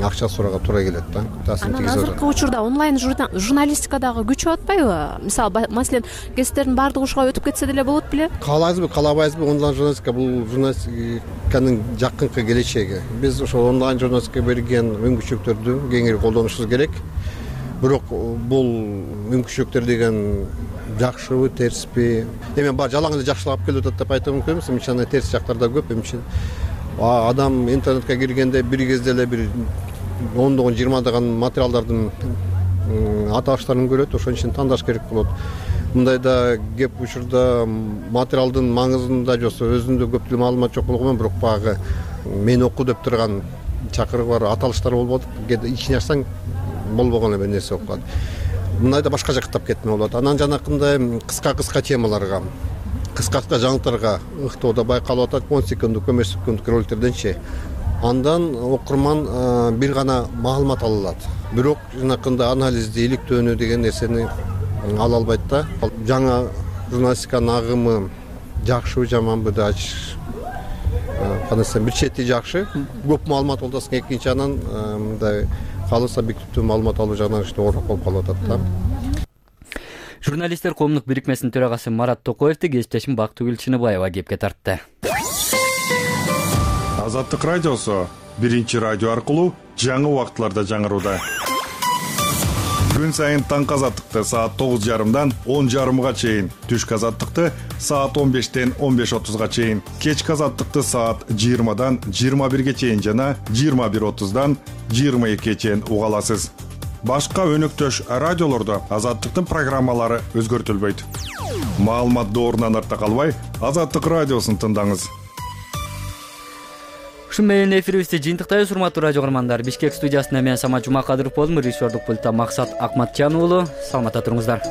акча сурага туура келет да. Анан азыркы учурда онлайн журналистика дагы күчүп атпайбы? Мисалы, маселен, гезиттердин баардыгы ушуга өтүп кетсе деле болот беле? Каалайбызбы, каалабайбызбы, онлайн журналистика бул журналистиканын жакынкы келечеги. Биз ошол онлайн журналистикага берген мүмкүнчүлүктөрдү кеңири колдонушубуз керек. Бирок бул мүмкүнчүлүктөр деген жакшыбы, терсиби? Эми бар жалаң эле жакшылап келип атат деп айтуу мүмкүн эмес. Эми терс жактар да көп. Эми адам интернетке киргенде бир кезде эле бир 10-20 материалдардын аталыштарын көрөт, ошон үчүн тандаш керек болот. Мындайда кеп учурда материалдын маңызында жоксо өзүндө көп деле маалымат жок болгонмен, бирок багы мен оку деп турган чакырык бар аталыштар болуп атат. Кээде ичине ачсаң болбогон эле нерсе болуп калат. Мындайда башка жактап кетме болот. Анан жанакындай кыска темаларга, кыска жаңылыктарга ыктоодо байкалып атат. 10 секунддук, 15 секунддук роликтерденчи. Андан окурман бир гана маалымат ала алат. Бирок жанакындай анализди, иликтөөнү деген нерсени ала албайт да. Жаңа журналистиканын агымы жакшыбы, жаманбы да кандай десем, бир чети жакшы. Көп маалымат алдасың, экинчи анан мындай калыс объективдүү маалымат алуу жагынан оорук болуп калып атат да. Журналисттер коомдук бирикмесинин төрагасы Марат Токоевди кесиптешим Бактыгүл Чыныбаева кепке тартты. Азаттык радиосу биринчи радио аркылуу жаңы убакытларда жаңырууда. Күн сайын таңкы азаттыкты саат 9:30-дан 10:30 чейин, түшкү азаттыкты саат 15-тен 15:30 чейин, кечки азаттыкты саат 20-дан 21 чейин жана 21:30-дан 22 чейин уга аласыз. Башка өнөктөш радиолордо Азаттыктын программалары өзгөртүлбөйт. Маалымат доорунан артта калбай, Азаттык радиосун тыңдаңыз. Ушун менен эфирибизди жыйынтыктайбыз, урматтуу радио көрөрмандар. Бишкек студиясында мен Самат Жумакадыров болдум, режиссердук пультта Максат Акматжан уулу. Саламатта туруңуздар.